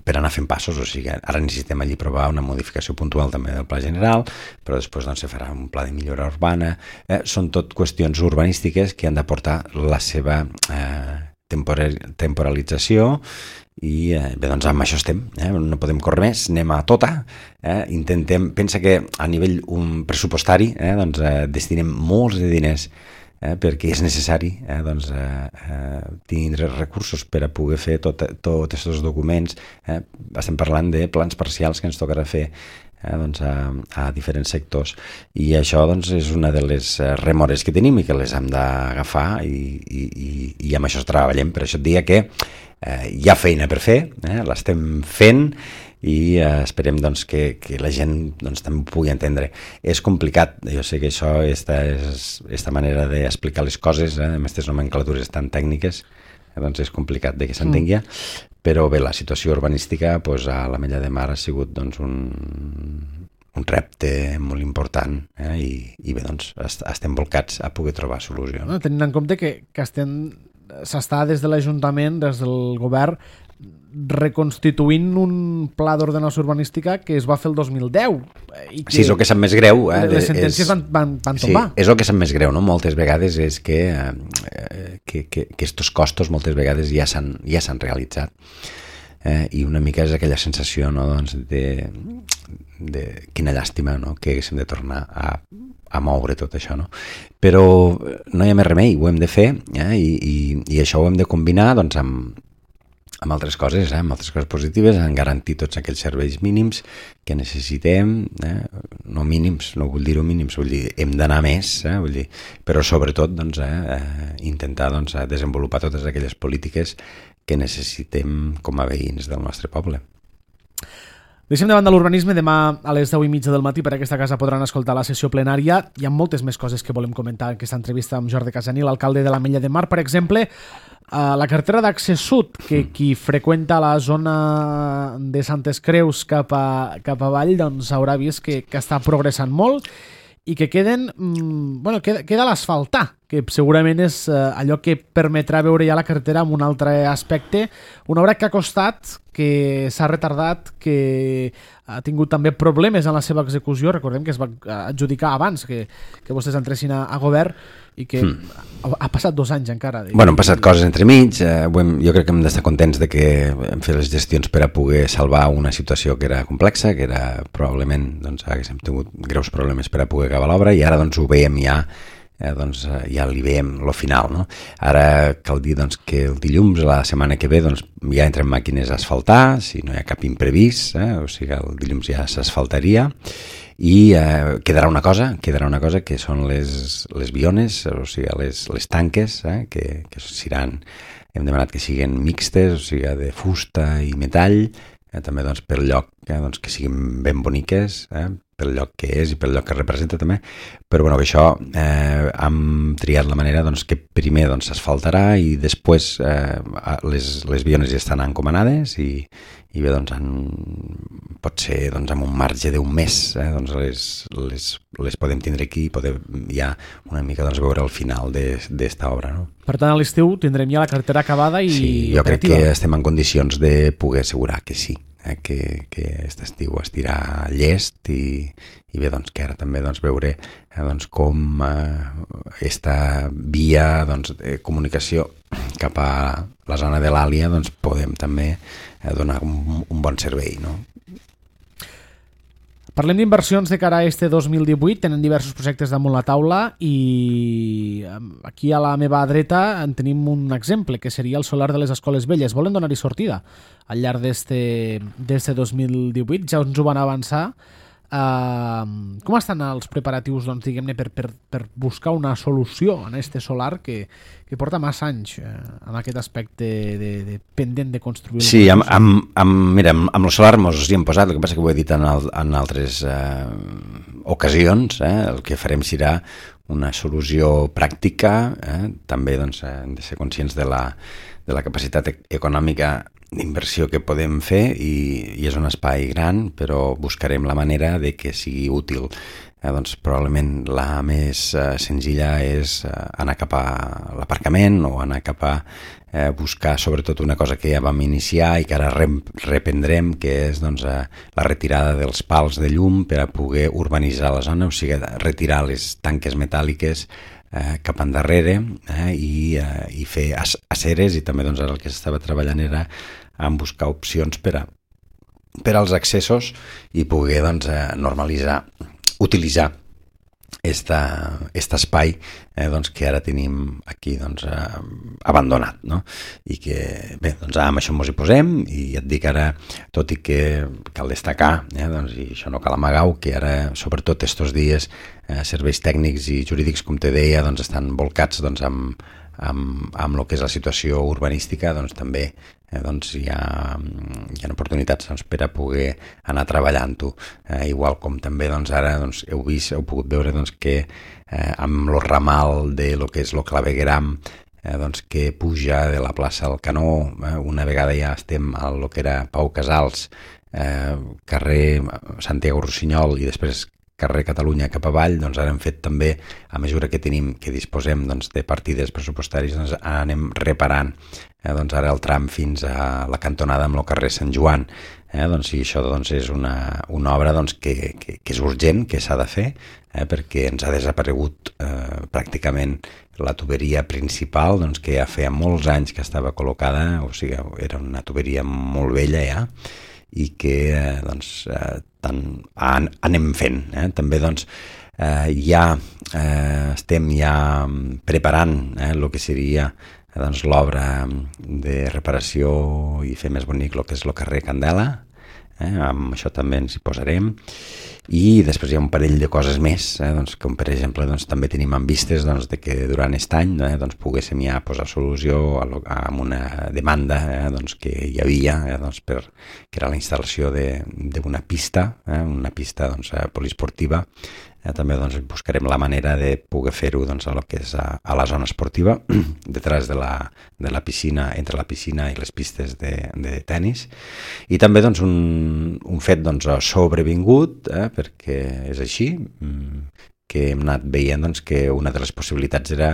per anar fent passos. O sigui, ara necessitem allí provar una modificació puntual també del pla general, però després doncs, se farà un pla de millora urbana. Eh, són tot qüestions urbanístiques que han d'aportar la seva eh, temporalització, i eh, bé, doncs amb això estem, eh? No podem córrer més, anem a tota, eh? Intentem, pensa que a nivell um, pressupostari eh, doncs, eh, destinem molts de diners eh, perquè és necessari eh, doncs, eh, eh, tindre recursos per a poder fer tots tot aquests documents. Eh? Estem parlant de plans parcials que ens tocarà fer eh, doncs, a, a diferents sectors, i això doncs, és una de les remores que tenim i que les hem d'agafar, i, i, i, i amb això treballem. Per això et diria que Eh, hi ha feina per fer, eh? L'estem fent, i eh, esperem doncs, que, que la gent doncs, també ho pugui entendre. És complicat, jo sé que això, esta, és, esta manera d'explicar les coses, eh, amb aquestes nomenclatures tan tècniques, eh, doncs és complicat de que s'entengui, mm. però bé, la situació urbanística doncs, a l'Ametlla de Mar ha sigut doncs, un, un repte molt important, eh? I, i bé, doncs, est estem volcats a poder trobar solució. No? Tenint en compte que, que estem s'està des de l'Ajuntament, des del govern, reconstituint un pla d'ordenació urbanística que es va fer el dos mil deu. I que sí, és el que sap més greu. Eh? Les sentències és, van, van, van tombar. Sí, és el que sap més greu, no? Moltes vegades és que, eh, que, que, que estos costos moltes vegades ja s'han ja s'han realitzat. Eh, I una mica és aquella sensació, no? Doncs de, de quina llàstima, no? Que haguéssim de tornar a a moure tot això, no? Però no hi ha més remei, ho hem de fer, eh? I, i, i això ho hem de combinar doncs, amb, amb altres coses, eh? amb altres coses positives, en garantir tots aquells serveis mínims que necessitem, eh? no mínims, no vull dir-ho mínims, vull dir, hem d'anar més, eh? vull dir, però sobretot doncs, eh, intentar doncs, desenvolupar totes aquelles polítiques que necessitem com a veïns del nostre poble. Deixem de banda l'urbanisme. Demà a les deu i mitja del matí per aquesta casa podran escoltar la sessió plenària. Hi ha moltes més coses que volem comentar en aquesta entrevista amb Jordi Casaní, l'alcalde de l'Ametlla de Mar. Per exemple, la carretera d'accés sud, que qui freqüenta la zona de Santes Creus cap, a, cap avall doncs haurà vist que, que està progressant molt i que queden, bueno, queda, queda l'asfaltar, que segurament és eh, allò que permetrà veure ja la carretera amb un altre aspecte. Una obra que ha costat, que s'ha retardat, que ha tingut també problemes en la seva execució. Recordem que es va adjudicar abans que, que vostès entressin a, a govern i que mm. ha, ha passat dos anys encara. De... Bueno, han passat coses entremig. Eh, hem, jo crec que hem d'estar contents de que hem fet les gestions per a poder salvar una situació que era complexa, que era probablement, doncs, haguéssim tingut greus problemes per a poder acabar l'obra, i ara doncs ho veiem ja Eh, doncs, eh, ja li veiem lo final, no? Ara cal dir doncs, que el dilluns, la setmana que ve, doncs, ja entren màquines a asfaltar, si no hi ha cap imprevist, eh? O sigui, el dilluns ja s'asfaltaria, i eh, quedarà una cosa, quedarà una cosa que són les, les biones, o sigui, les, les tanques, eh? que, que seran, hem demanat que siguin mixtes, o sigui, de fusta i metall, eh? també doncs, per lloc eh? doncs, que siguin ben boniques, eh? pel lloc que és i pel lloc que representa també, però bueno, això eh, hem triat la manera doncs, que primer doncs, s'asfaltarà i després eh, les, les biones ja estan encomanades i, i bé, doncs, en, pot ser doncs, amb un marge d'un mes, eh, doncs les, les, les podem tindre aquí i poder ja una mica doncs, veure el final d'esta obra. No? Per tant, a l'estiu tindrem ja la carretera acabada i sí, jo operativa. Crec que estem en condicions de poder assegurar que sí. Eh, que, que aquest estiu es tirà llest i, i bé, doncs, que ara també doncs, veure eh, doncs, com eh, esta via doncs, de comunicació cap a la zona de l'Àlia doncs, podem també eh, donar un, un bon servei, no? Parlem d'inversions de cara a este dos mil divuit, tenen diversos projectes damunt la taula i aquí a la meva dreta en tenim un exemple, que seria el solar de les Escoles Velles. Volen donar-hi sortida al llarg d'este dos mil divuit, ja ens ho van avançar. Uh, com estan els preparatius doncs, diguem-ne, per, per, per buscar una solució en este solar que, que porta massa anys eh, amb aquest aspecte de, de pendent de construir? Sí, amb, amb, amb, mira, amb, amb el solar mos hi hem posat, el que passa que ho he dit en, el, en altres eh, ocasions, eh, el que farem serà una solució pràctica, eh, també doncs, hem de ser conscients de la, de la capacitat econòmica d'inversió que podem fer i, i és un espai gran, però buscarem la manera de que sigui útil. Eh, doncs probablement la més eh, senzilla és eh, anar cap a l'aparcament o anar cap a eh, buscar sobretot una cosa que ja vam iniciar i que ara rep reprendrem, que és doncs, eh, la retirada dels pals de llum per a poder urbanitzar la zona, o sigui, retirar les tanques metàl·liques Eh, cap endarrere eh, i, eh, i fer aceres, i també doncs, ara el que s'estava treballant era en buscar opcions per, a, per als accessos i poder doncs, eh, normalitzar, utilitzar aquest espai eh, doncs, que ara tenim aquí doncs, eh, abandonat, no? I que bé, doncs, amb això ens hi posem i et dic ara, tot i que cal destacar, eh, doncs, i això no cal amagar-ho, que ara sobretot estos dies eh, serveis tècnics i jurídics, com te deia, doncs, estan volcats doncs, amb, amb, amb el que és la situació urbanística, doncs també eh, doncs, hi, ha, hi ha oportunitats doncs, per a poder anar treballant-ho. Eh, igual com també doncs, ara doncs, heu vist, heu pogut veure doncs, que eh, amb el ramal de lo que és el clavegueram eh, doncs, que puja de la plaça al Canó, eh, una vegada ja estem a lo que era Pau Casals, eh, carrer Santiago Rossinyol i després carrer Catalunya cap avall, doncs ara hem fet també, a mesura que tenim, que disposem doncs, de partides pressupostàries, doncs anem reparant eh, doncs ara el tram fins a la cantonada amb el carrer Sant Joan. Eh, doncs, I això doncs, és una, una obra doncs, que, que, que és urgent, que s'ha de fer, eh, perquè ens ha desaparegut eh, pràcticament la tuberia principal, doncs, que ja feia molts anys que estava col·locada, o sigui, era una tuberia molt vella ja, i que eh, doncs, eh, tant an, anem fent. Eh? També doncs, eh, ja eh, estem ja preparant eh, el que seria doncs, l'obra de reparació i fer més bonic el que és el carrer Candela, eh? Amb això també ens hi posarem. I després hi ha un parell de coses més, eh? doncs, com per exemple doncs, també tenim en vistes doncs, de que durant aquest any eh, doncs, poguéssim ja posar solució a, lo, a una demanda eh, doncs, que hi havia, eh, doncs, per, que era la instal·lació d'una pista, eh, una pista doncs, poliesportiva. Eh, també doncs, buscarem la manera de poder fer-ho doncs, a, lo que és a, a la zona esportiva, detrás de la, de la piscina, entre la piscina i les pistes de, de tennis. I també doncs, un, un fet doncs, sobrevingut, eh, perquè és així, que hem anat veient doncs, que una de les possibilitats era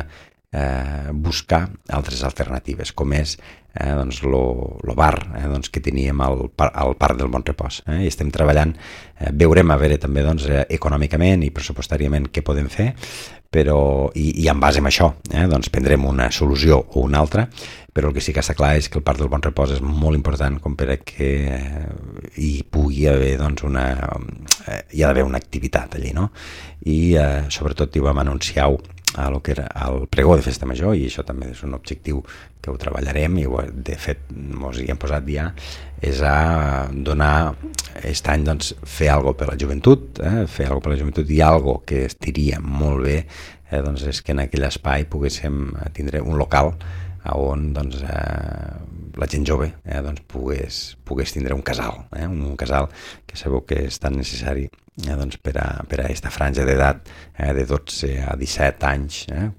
eh, buscar altres alternatives, com és eh, doncs, lo, lo bar eh, doncs, que teníem al, al Parc del Bon Repòs. Eh, I estem treballant, eh, veurem a veure també doncs, eh, econòmicament i pressupostàriament què podem fer, però, i, i en base a això eh, doncs prendrem una solució o una altra, però el que sí que està clar és que el Parc del Bon Repòs és molt important com per a que eh, hi pugui haver doncs, una, eh, hi ha d'haver una activitat allí, no? I eh, sobretot hi vam anunciar a lo que era el pregó de festa major, i això també és un objectiu que ho treballarem, i de fet ens hi hem posat ja, és a donar aquest any doncs, fer alguna cosa per la joventut, eh? fer alguna cosa per la joventut, i alguna que estiria molt bé eh, doncs és que en aquell espai poguéssim tindre un local on doncs, eh, la gent jove eh, doncs, pogués, pogués tindre un casal, eh, un, un casal que sabeu que és tan necessari eh, doncs, per a per a aquesta franja d'edat eh, de dotze a disset anys, eh,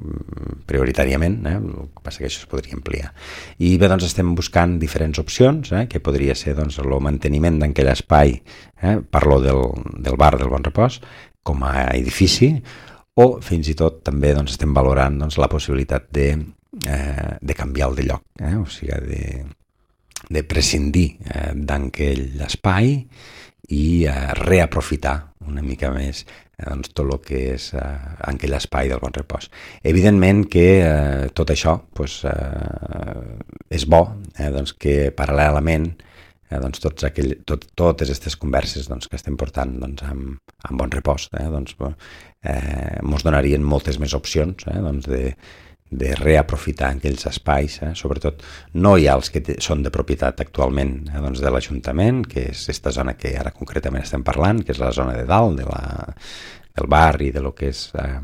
prioritàriament, eh, el que passa que això es podria ampliar. I bé, doncs estem buscant diferents opcions, eh, que podria ser doncs, el manteniment d'aquell espai, eh, parlo del, del bar del Bon Repòs, com a edifici, o fins i tot també doncs, estem valorant doncs, la possibilitat de Eh, de canviar el de lloc, eh? O sigui, de, de prescindir eh, d'aquell espai i eh, reaprofitar una mica més eh, doncs, tot el que és eh, aquell espai del Bon Repòs. Evidentment que eh, tot això pues, eh, és bo, eh, doncs que paral·lelament eh, doncs, tots aquell, tot, totes aquestes converses doncs, que estem portant doncs, amb, amb Bon Repòs eh, doncs, eh, ens donarien moltes més opcions eh, doncs, de de reaprofitar aquells espais, eh? Sobretot no hi ha els que són de propietat actualment eh? doncs de l'Ajuntament, que és aquesta zona que ara concretament estem parlant, que és la zona de dalt, de la, del bar i de lo que és eh,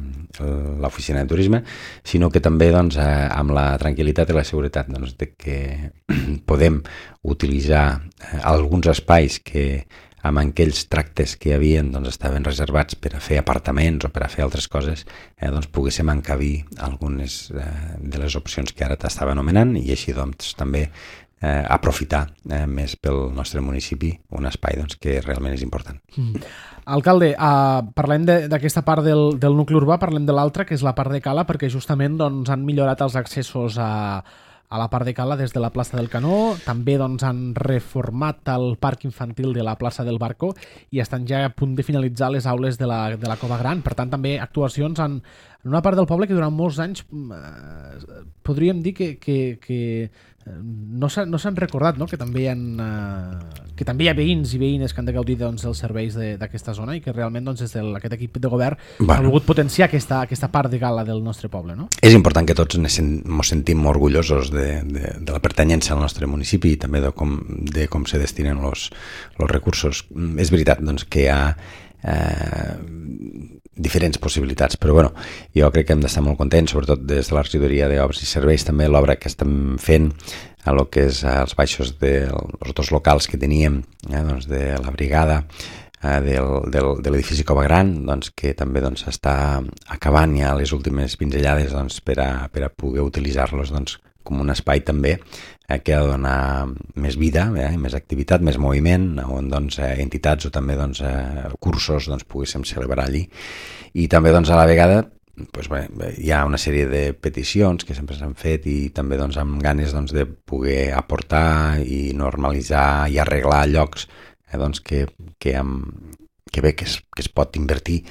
l'oficina de turisme, sinó que també doncs, eh, amb la tranquil·litat i la seguretat doncs, de que podem utilitzar eh, alguns espais que amb aquells tractes que hi havia doncs, estaven reservats per a fer apartaments o per a fer altres coses, eh, doncs poguéssim encabir algunes eh, de les opcions que ara t'estava anomenant, i així doncs, també eh, aprofitar eh, més pel nostre municipi un espai doncs, que realment és important. Mm. Alcalde, uh, parlem d'aquesta part del, del nucli urbà, parlem de l'altra, que és la part de Cala, perquè justament doncs, han millorat els accessos a a la part de Cala des de la plaça del Canó, també doncs, han reformat el parc infantil de la plaça del Barco i estan ja a punt de finalitzar les aules de la, de la Cova Gran. Per tant, també actuacions en, en una part del poble que durant molts anys eh, podríem dir que, que, que no s'han no recordat, no? que, també hi ha, eh, que també hi ha veïns i veïnes que han de gaudir doncs, dels serveis d'aquesta zona i que realment doncs, des d'aquest equip de govern bueno. ha volgut potenciar aquesta, aquesta part de Cala del nostre poble. No? És important que tots ens sentim orgullosos de, de, de la pertanyència al nostre municipi i també de com, de com se destinen els recursos. És veritat doncs, que hi ha eh, diferents possibilitats, però bueno, jo crec que hem d'estar molt contents, sobretot des de la regidoria d'Obres i Serveis, també l'obra que estem fent a lo que és als baixos dels dos locals que teníem, eh, doncs de la brigada, eh, del, del, de l'edifici Cova Gran, doncs, que també doncs, està acabant ja les últimes pinzellades doncs, per, a, per a poder utilitzar-los doncs, com un espai també eh, que ha de donar més vida, eh, més activitat, més moviment, on doncs, eh, entitats o també doncs, eh, cursos doncs, poguéssim celebrar allí. I també doncs, a la vegada doncs, bé, hi ha una sèrie de peticions que sempre s'han fet i també doncs, amb ganes doncs, de poder aportar i normalitzar i arreglar llocs eh, doncs, que, que, amb, que bé que es, que es pot invertir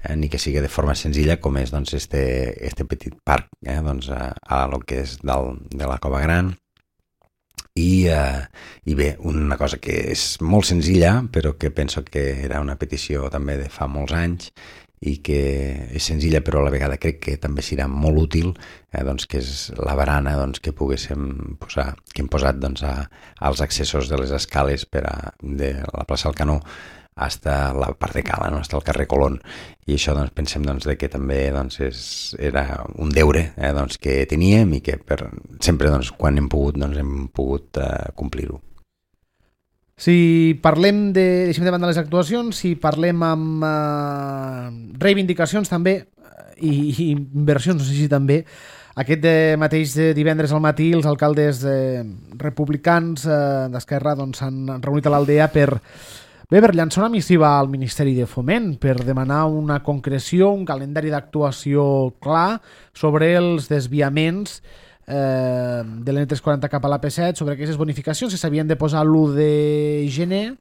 Eh, ni que sigui de forma senzilla com és doncs, este, este petit parc eh, doncs, a, a lo que és del, de la Cova Gran i, eh, i bé, una cosa que és molt senzilla però que penso que era una petició també de fa molts anys i que és senzilla però a la vegada crec que també serà molt útil, eh, doncs, que és la barana doncs, que poguéssim posar, que hem posat doncs, a, als accessos de les escales per a, de la plaça Alcanó hasta la part de Cala, no? Hasta el carrer Colón, i això doncs, pensem doncs, de que també doncs, és, era un deure eh, doncs, que teníem i que per, sempre doncs, quan hem pogut doncs, hem pogut eh, complir-ho. Si parlem de, deixem de banda les actuacions, si parlem amb eh, reivindicacions també i, i inversions, no sé si també, aquest de mateix de divendres al matí els alcaldes eh, republicans eh, d'Esquerra doncs, s'han reunit a l'Aldea per, bé, per llançar una missiva al Ministeri de Foment per demanar una concreció, un calendari d'actuació clar sobre els desviaments Eh, de l'N tres quaranta cap a l'A P set, sobre aquestes bonificacions que s'havien de posar l'u de gener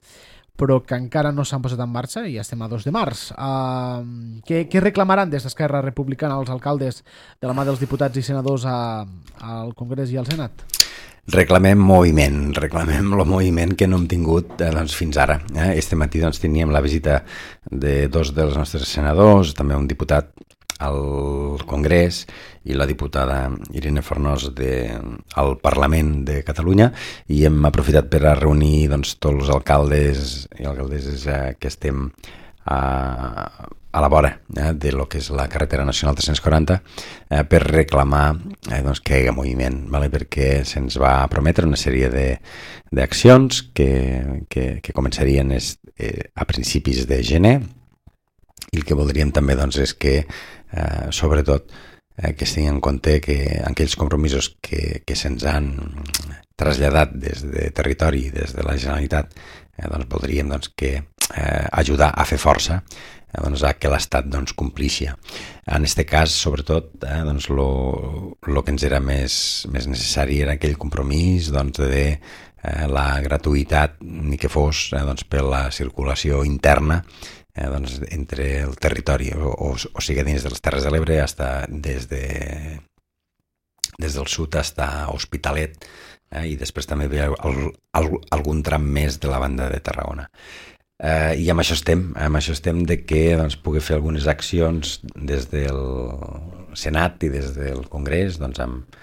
però que encara no s'han posat en marxa i ja estem a dos de març. Uh, què, què reclamaran des d'Esquerra Republicana als alcaldes de la mà dels diputats i senadors a, al Congrés i al Senat? Reclamem moviment, reclamem el moviment que no hem tingut eh, doncs, fins ara. Eh? Este matí doncs, teníem la visita de dos dels nostres senadors, també un diputat al Congrés i la diputada Irene Fornós de, al Parlament de Catalunya, i hem aprofitat per a reunir doncs, tots els alcaldes i alcaldesses eh, que estem a, a la vora eh, de lo que és la carretera nacional tres-cents quaranta eh, per reclamar eh, doncs, que hi hagi moviment, vale? Perquè se'ns va prometre una sèrie d'accions que, que, que començarien es, eh, a principis de gener, i el que voldríem també doncs, és que eh, sobretot eh, que es tingui en compte que aquells compromisos que, que se'ns han traslladat des de territori, des de la Generalitat, eh, doncs voldríem doncs, que eh, ajudar a fer força eh, doncs, a que l'Estat doncs, complixi. En aquest cas, sobretot, eh, doncs, lo, lo que ens era més, més necessari era aquell compromís doncs, de eh, la gratuïtat, ni que fos eh, doncs, per la circulació interna Eh, doncs, entre el territori, o, o, o sigui, dins de les Terres de l'Ebre, hasta des, de, des del sud fins a Hospitalet, eh, i després també ve el, el, algun tram més de la banda de Tarragona. Eh, I amb això estem, amb això estem de que doncs, pugui fer algunes accions des del Senat i des del Congrés, doncs, amb,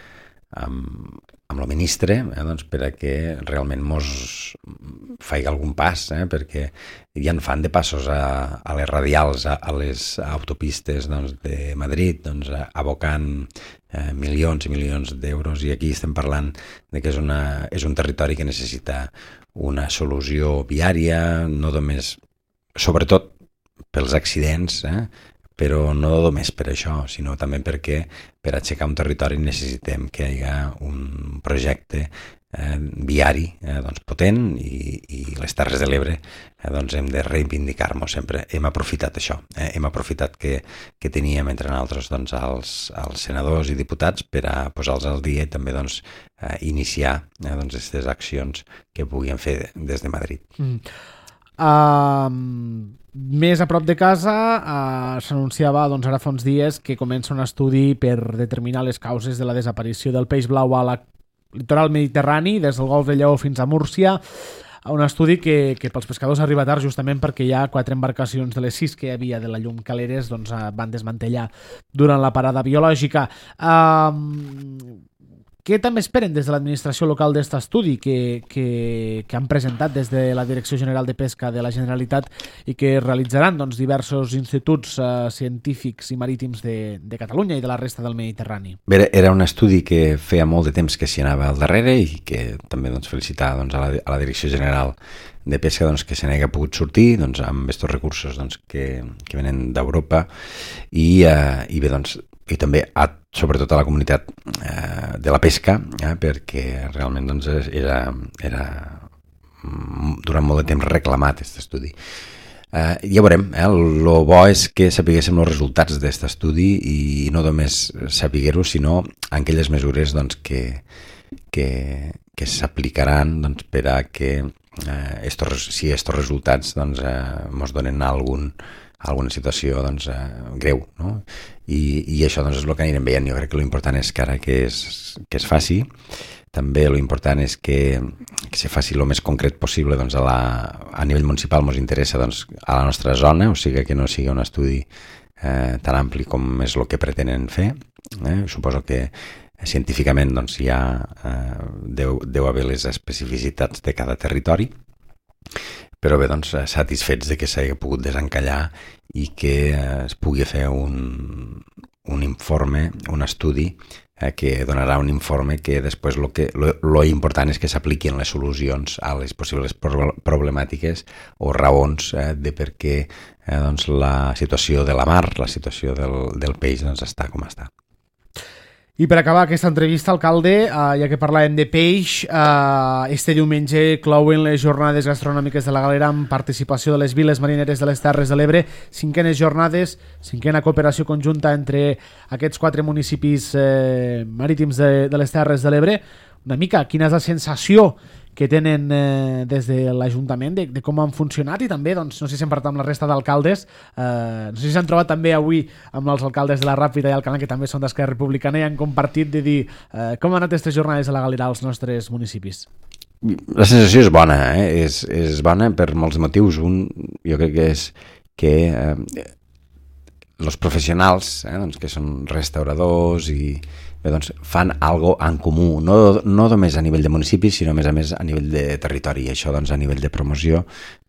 amb, amb el ministre, eh, doncs, per a que realment mos faci algun pas, eh, perquè ja en fan de passos a, a les radials, a, a les autopistes doncs, de Madrid, doncs, abocant eh, milions i milions d'euros, i aquí estem parlant de que és, una, és un territori que necessita una solució viària, no només, sobretot pels accidents, eh, però no només per això, sinó també perquè per aixecar un territori necessitem que hi hagi un projecte eh, viari eh, doncs, potent, i, i les Terres de l'Ebre eh, doncs, hem de reivindicar-nos sempre. Hem aprofitat això, eh, hem aprofitat que, que teníem entre nosaltres doncs, els, els senadors i diputats per a posar-los al dia i també doncs, eh, iniciar eh, doncs, aquestes accions que puguin fer des de Madrid. Mm. Um, més a prop de casa uh, s'anunciava doncs, ara fa uns dies que comença un estudi per determinar les causes de la desaparició del peix blau a la litoral mediterrani, des del Golf de Lleó fins a Múrcia, un estudi que, que pels pescadors arriba tard justament perquè hi ha quatre embarcacions de les sis que hi havia de la Llum Caleres doncs, van desmantellar durant la parada biològica. Um, Què també esperen des de l'administració local d'aquest estudi que, que, que han presentat des de la Direcció General de Pesca de la Generalitat i que realitzaran doncs, diversos instituts eh, científics i marítims de, de Catalunya i de la resta del Mediterrani? Bé, era un estudi que feia molt de temps que s'hi anava al darrere i que també doncs, felicitar doncs, a, la, a la Direcció General de Pesca doncs, que se n'hagi pogut sortir doncs, amb aquests recursos doncs, que, que venen d'Europa i, eh, i bé, doncs, i també a, sobretot a la comunitat eh, de la pesca, eh, perquè realment doncs, era, era durant molt de temps reclamat aquest estudi. Eh, ja veurem, eh, el bo és que sapiguéssim els resultats d'aquest estudi i no només sapiguer-ho, sinó aquelles mesures doncs, que, que, que s'aplicaran doncs, per a que eh, estos, si aquests resultats doncs, eh, mos donen algun alguna situació doncs, eh, greu, no? I, i això doncs, és el que anirem veient. Jo crec que l'important és que ara que es, que es faci, també l'important és que, que se faci el més concret possible doncs, a, la, a nivell municipal. Ens interessa doncs, a la nostra zona, o sigui que no sigui un estudi eh, tan ampli com és el que pretenen fer. Eh? Suposo que científicament doncs, hi ha, eh, deu, deu haver les especificitats de cada territori, però bé, doncs, satisfets de que s'hagi pogut desencallar i que eh, es pugui fer un, un informe, un estudi eh, que donarà un informe que després lo que lo, lo important és que s'apliquin les solucions a les possibles pro problemàtiques o raons eh, de per què eh, doncs, la situació de la mar, la situació del, del peix doncs, està com està. I per acabar aquesta entrevista, alcalde, eh, ja que parlàvem de peix, eh, este diumenge clouen les jornades gastronòmiques de la Galera amb participació de les viles marineres de les Terres de l'Ebre, cinquenes jornades, cinquena cooperació conjunta entre aquests quatre municipis eh, marítims de, de les Terres de l'Ebre. Una mica, quina és la sensació que tenen eh, des de l'Ajuntament de, de com han funcionat i també, doncs, no sé si hem parlat amb la resta d'alcaldes, eh, no sé si s'han trobat també avui amb els alcaldes de la Ràpita i Alcanar, que també són d'Esquerra Republicana, i han compartit de dir eh, com han anat aquestes jornades de la Galera als nostres municipis. La sensació és bona, eh? és, és bona per molts motius. Un, jo crec que és que eh, els professionals, eh, doncs, que són restauradors i bé, doncs, fan algo en comú, no, no només a nivell de municipis, sinó a més a més a nivell de territori, i això doncs, a nivell de promoció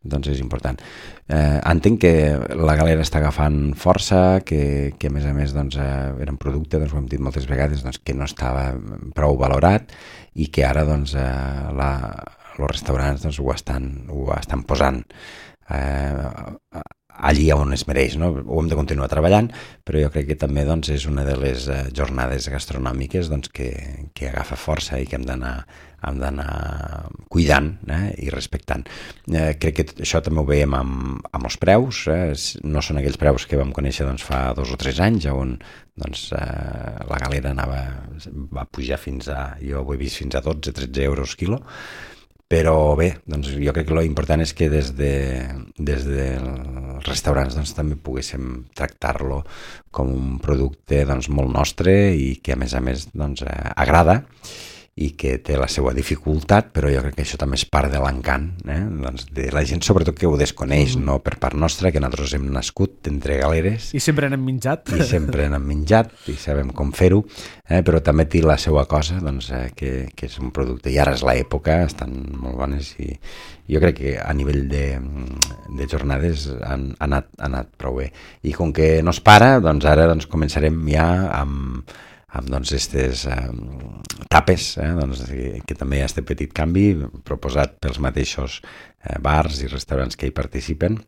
doncs, és important. Eh, entenc que la Galera està agafant força, que, que a més a més doncs, eh, era un producte, doncs, ho hem dit moltes vegades, doncs, que no estava prou valorat i que ara doncs, eh, la, els restaurants doncs, ho, estan, ho estan posant eh, allí on es mereix, no? Ho hem de continuar treballant, però jo crec que també doncs, és una de les eh, jornades gastronòmiques doncs, que, que agafa força i que hem d'anar hem d'anar cuidant eh, i respectant. Eh, crec que això també ho veiem amb, amb els preus, eh? No són aquells preus que vam conèixer doncs, fa dos o tres anys, on doncs, eh, la Galera anava, va pujar fins a, jo ho he vist fins a dotze tretze euros quilo, però bé, doncs jo crec que l'important és que des de des dels restaurants doncs, també poguéssim tractar-lo com un producte doncs, molt nostre i que a més a més doncs, eh, agrada i que té la seva dificultat, però jo crec que això també és part de l'encant eh? doncs de la gent, sobretot que ho desconeix, mm. no per part nostra, que nosaltres hem nascut entre galeres. I sempre n'hem menjat. I sempre n'hem menjat i sabem com fer-ho, eh? però també té la seva cosa, doncs, eh? que, que és un producte, i ara és l'època, estan molt bones, i jo crec que a nivell de, de jornades han, han, anat, han anat prou bé. I com que no es para, doncs ara doncs, començarem ja amb amb doncs, aquestes eh, tapes, eh, doncs, que, que també hi ha aquest petit canvi proposat pels mateixos eh, bars i restaurants que hi participen,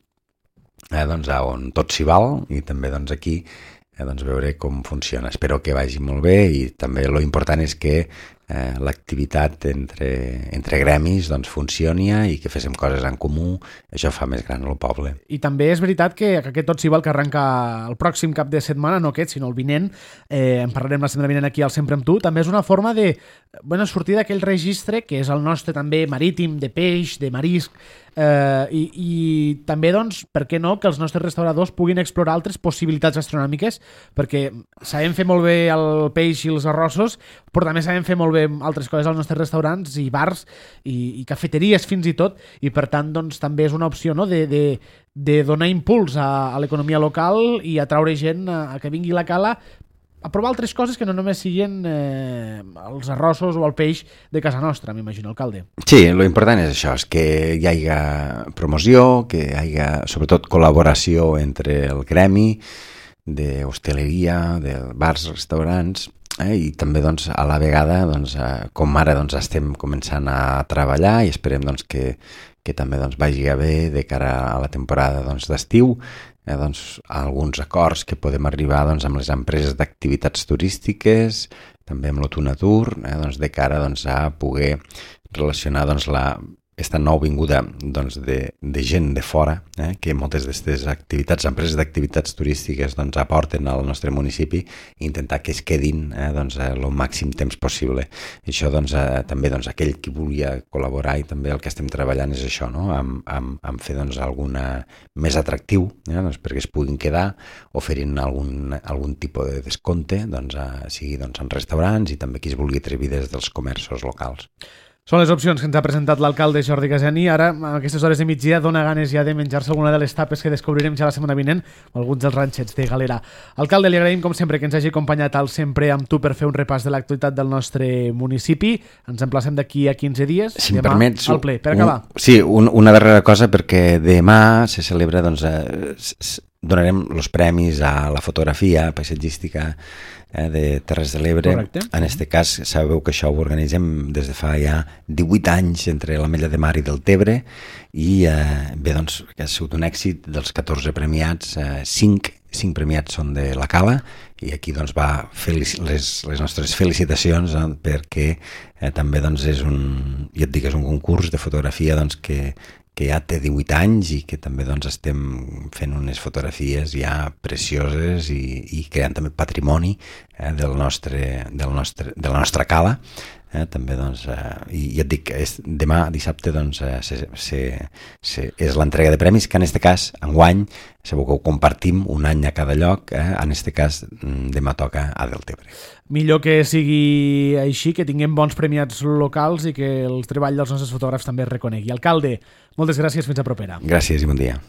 eh, doncs, on tot s'hi val, i també doncs, aquí eh, doncs, veure com funciona. Espero que vagi molt bé, i també lo important és que eh, l'activitat entre, entre gremis doncs, funcioni i que féssim coses en comú, això fa més gran el poble. I també és veritat que, que aquest Tot s'hi val, que arrenca el pròxim cap de setmana, no aquest, sinó el vinent, eh, en parlarem la setmana vinent aquí al Sempre amb tu, també és una forma de bueno, sortir d'aquell registre que és el nostre també marítim, de peix, de marisc, eh, i, i també, doncs, per què no, que els nostres restauradors puguin explorar altres possibilitats gastronòmiques, perquè sabem fer molt bé el peix i els arrossos, però també sabem fer molt bé altres coses als nostres restaurants i bars i, i cafeteries fins i tot, i per tant doncs, també és una opció no? de, de, de donar impuls a, a l'economia local i atraure gent a, a que vingui a la cala a provar altres coses que no només siguin eh, els arrossos o el peix de casa nostra, m'imagino, alcalde. Sí, lo important és això, és que hi hagi promoció, que hi hagi sobretot col·laboració entre el gremi d'hostaleria, de bars, restaurants, eh, i també doncs, a la vegada, doncs, eh, com ara doncs, estem començant a treballar i esperem doncs, que, que també doncs, vagi a bé de cara a la temporada doncs, d'estiu, eh, doncs, alguns acords que podem arribar doncs, amb les empreses d'activitats turístiques, també amb l'Otunatur, eh, doncs, de cara doncs, a poder relacionar doncs, la aquesta nou vinguda doncs, de, de gent de fora, eh, que moltes d'aquestes activitats, empreses d'activitats turístiques doncs, aporten al nostre municipi, i intentar que es quedin eh, doncs, el màxim temps possible. I això doncs, eh, també doncs, aquell qui volia col·laborar, i també el que estem treballant és això, no? amb, amb, amb fer doncs, alguna més atractiu, eh, doncs, perquè es puguin quedar, oferint algun, algun tipus de descompte, doncs, a, sigui doncs, en restaurants, i també qui es vulgui atrevir des dels comerços locals. Són les opcions que ens ha presentat l'alcalde Jordi Casani. Ara, a aquestes hores de migdia, dona ganes ja de menjar-se alguna de les tapes que descobrirem ja la setmana vinent, o alguns dels ranxets de Galera. Alcalde, li agraïm, com sempre, que ens hagi acompanyat al Sempre amb tu per fer un repàs de l'actualitat del nostre municipi. Ens emplacem d'aquí a quinze dies. Si em demà, permets... al ple, per acabar. Un, sí, un, una darrera cosa, perquè demà se celebra, doncs, eh, donarem els premis a la fotografia paisatgística eh, de Terres de l'Ebre. Correcte. En aquest cas, sabeu que això ho organitzem des de fa ja divuit anys entre l'Ametlla de Mar i del Tebre i eh, bé, doncs, que ha sigut un èxit dels catorze premiats, eh, cinc, cinc premiats són de la Cala i aquí doncs va felici- les, les nostres felicitacions eh, perquè eh, també doncs és un, ja et dic, és un concurs de fotografia doncs que que ja té divuit anys i que també doncs, estem fent unes fotografies ja precioses i, i creant també patrimoni eh, del nostre, del nostre, de la nostra cala. Eh, també, doncs, eh, i ja et dic, és, demà, dissabte, doncs, eh, se, se, se, és l'entrega de premis, que en aquest cas, enguany, sabeu que ho compartim un any a cada lloc, eh, en aquest cas, demà toca a Deltebre. Millor que sigui així, que tinguem bons premiats locals i que el treball dels nostres fotògrafs també es reconegui. Alcalde, moltes gràcies, fins a propera. Gràcies i bon dia.